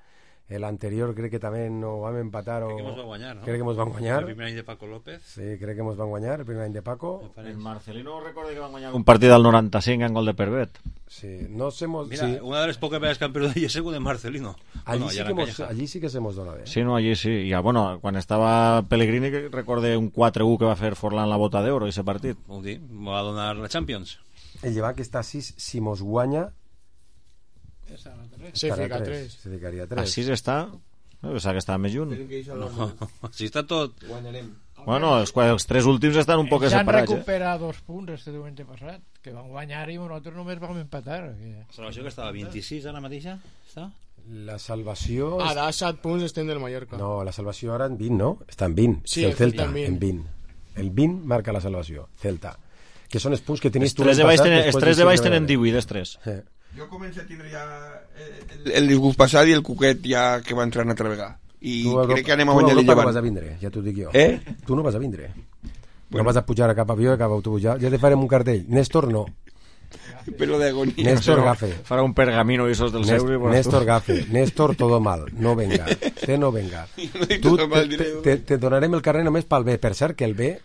El anterior crec que també no vam empatar crec que mos van guanyar, no? Crec que mos van guanyar. El primer any de Paco López. Sí, crec que mos van guanyar el primer any de Paco. El Marcelino recorda que van guanyar un partit al 95 en gol de Pervet. Sí, no se mos... Mira, sí. una de les poques vegades que han perdut allí és de Marcelino. Allí sí que se mos dona bé. Sí, no, allí sí. I, bueno, quan estava Pellegrini recorde un 4-1 que va fer Forlán la bota d'oro i ese partit. Vol dir, va donar la Champions. El Llevant que està a 6, si mos guanya... Se fica 3. Se ficaria 3. A 6 està... No, pensava que estava més junt. No, si està tot... Guanyarem. Bueno, els 3 últims estan un poc separats. Ja han recuperat 2 punts este diumenge passat, que van guanyar i nosaltres només vam empatar. La salvació que estava 26 ara mateixa? Està? La salvació... Ara 7 punts estem del Mallorca. No, la salvació ara en 20, no? Està en 20. Sí, el Celta en 20. El 20 marca la salvació, Celta. Que són els punts que tenies tu l'any passat. Els 3 de baix tenen 18, els 3. Jo començo a tindre ja el disgust passat i el cuquet ja que va entrar una altra vegada. I crec que anem a guanyar el Llevant. Tu no vas a vindre, ja t'ho dic jo. Tu no vas a vindre. No vas a pujar a cap avió, a cap autobús. Ja te farem un cartell. Néstor no. Pero de agonía. Néstor Gafe. Farà un pergamino i esos del Seuri. Néstor Gafe. Néstor todo mal. No venga. Te no venga. Te donarem el carrer només pel B. Per cert que el B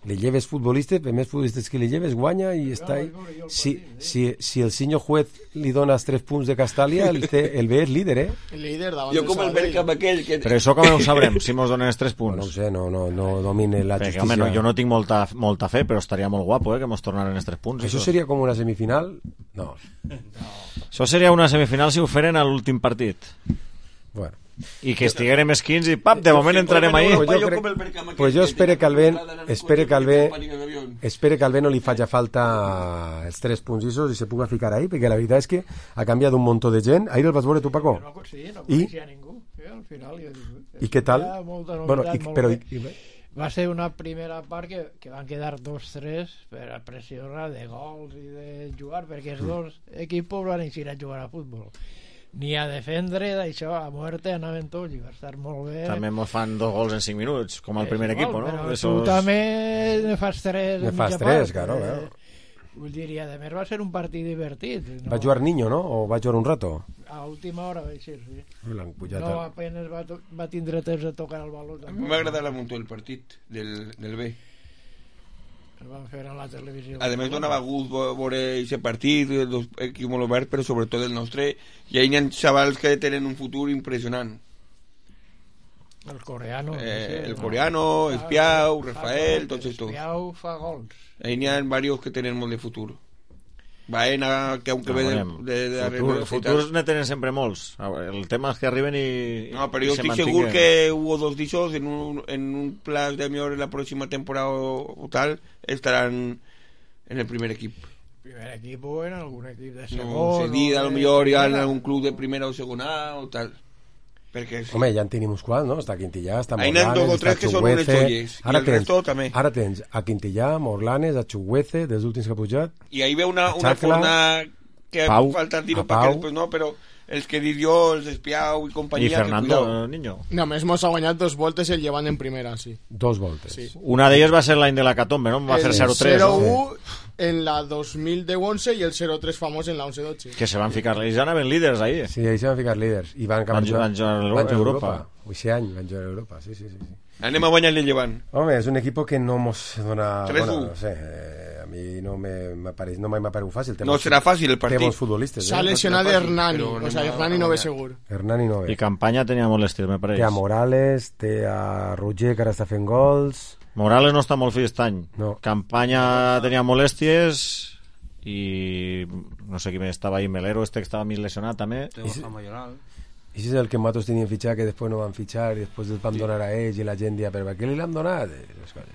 le lleves futbolistes, més futbolistes que le lleves guanya i està ahí. Si el senyor juez li dona els 3 punts de Castàlia, el B és líder, El líder davant jo com el Bergkamp aquell que... Però això com ho sabrem, si mos donen els 3 punts? No ho sé, no domine la justícia. Home, jo no tinc molta fe, però estaria molt guapo que mos tornaren els 3 punts. Això seria com una semifinal? No. Això seria una semifinal si ho feren a l'últim partit. Bueno. I que estiguérem esquins i pap, de moment entrarem ahí. Pues jo espero que al Ben no li faci falta els 3 punts i se puga ficar ahí, perquè la veritat és que ha canviat un munt de gent. Ahir el vas veure tu, Paco? Sí, no coneixia ningú. Al final, I què tal? Va ser una primera part que van quedar 2-3 per a pressionar de gols i de jugar, perquè els dos equips van eixir a jugar a futbol. Ni a defendre, d'això, a muerte, anaven tots i va estar molt bé. També mos fan 2 gols en 5 minuts, com el primer equip, no? Però tu també ne fas 3 en mitja part. Claro. Vull dir, i a més va ser un partit divertit. Va jugar Niño, no? O va jugar un rato? A última hora va ser, sí. No, apenas va tindre temps de tocar el baló. A mi m'ha agradat molt el partit del B. El van fer a la televisió. A més donava gust veure aquest partit, els equips molt oberts, però sobretot el nostre. I hi ha xavals que tenen un futur impressionant. El coreano. Espiau, Rafael, tots estos. Espiau fa gols. Hi ha diversos que tenen molt de futur. Baena, que aunque ve de futurs ne tenen sempre molts. El tema és que arriben i no, però jo estic segur que hubo 2 d'ixos en un plaç de millor en la pròxima temporada o tal estaran en el primer equip. Primer equip o en algun equip de segon. No, cedida, a lo millor ja en algun club de primera o segona o tal. Perquè, sí. Home, ja en tenim uns quants, no? Està Quintillà, està Morlanes, està Chuguece. Ara tens a Quintillà, Morlanes, a Chuguece, dels últims que ha pujat. I ahí ve una forma que falta tiro perquè després no, però els que dic jo, els Espiau i companyia... I Fernando Niño. Només mos ha guanyat 2 voltes el Llevant en primera, sí. 2 voltes. Sí. Una d'elles va ser l'any de la Catombe, no? Va fer 0-3. El 0-1 en la 2010-11 i el 0-3 famós en la 11-12. Que se van ficar, ells anaven líders ahí. Sí, ells se van ficar líders. I van jugar a Europa. Aquest any van jugar a Europa, sí. Anem a guanyar el Llevant. Home, és un equip que no mos dona... 3-1. Bueno, no sé, a mi no m'ha paregut fàcil. No serà fàcil el partit. Té bons futbolistes. S'ha lesionat Hernani, o sea, Hernani no ve segur. Hernani no ve. I Campanya tenia molèsties, me pareix. Té a Morales, té a Roger, que ara està fent gols... Morales no està molt fi aquest any. No. Campanya tenia molèsties i no sé qui més estava ahí, Melero, que estava més lesionat també. I si és el que nosaltres teníem fitxar, que després no van fitxar i després els vam donar a ells i la gent dia, però per què li l'han donat?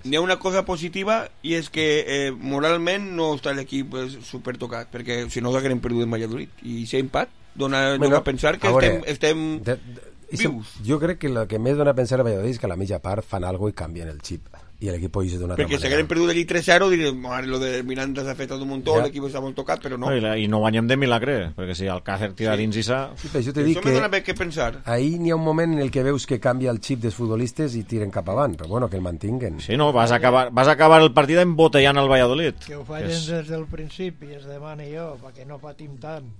N'hi ha una cosa positiva i és que moralment no està l'equip super tocat, perquè si no s'hagueren perdut en Valladolid i si empat dona a pensar que estem Jo crec que el que més dona a pensar a Valladolid és que a la mitja part fan alguna i canvien el xip i l'equip ho hice d'una altra manera. Perquè si hagueren perdut allí 3-0 direm, lo de Miranda s'ha fet tot un muntó, l'equip està molt tocat, però no. I no guanyem de milagre, perquè si Alcácer tira dins i sa... Sí, però jo t'he dit que... Això me dona què pensar. Ahí n'hi ha un moment en el que veus que canvia el xip dels futbolistes i tiren cap avant, però bueno, que el mantinguen. Sí, no, vas acabar el partit embotellant el Valladolid. Que ho fallen des del principi, es demani jo, perquè no patim tant.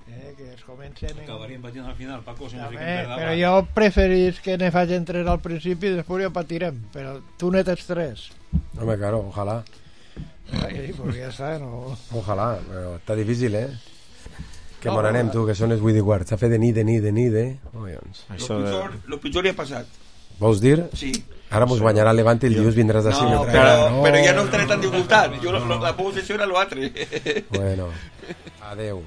Que es comencen... Acabaríem patint al final, Paco, si no fiquem per davant. Però jo preferís que ne facin 3 al principi i després ja patirem, però tu ne tens 3. Home, claro, ojalá. Sí, pues ja està, no... Ojalá, però està difícil, Que no, anem, tu, que són els 8 i quart. S'ha fet de nit, Lo pitjor ja ha passat. Vols dir? Sí. Ara mos guanyarà el Levante i el dilluns vindràs d'ací. No, però ja no estaré tan disgustat. La possessió era l'altre. Bueno, adeu.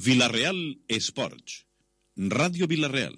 Villarreal Esports. Ràdio Villarreal.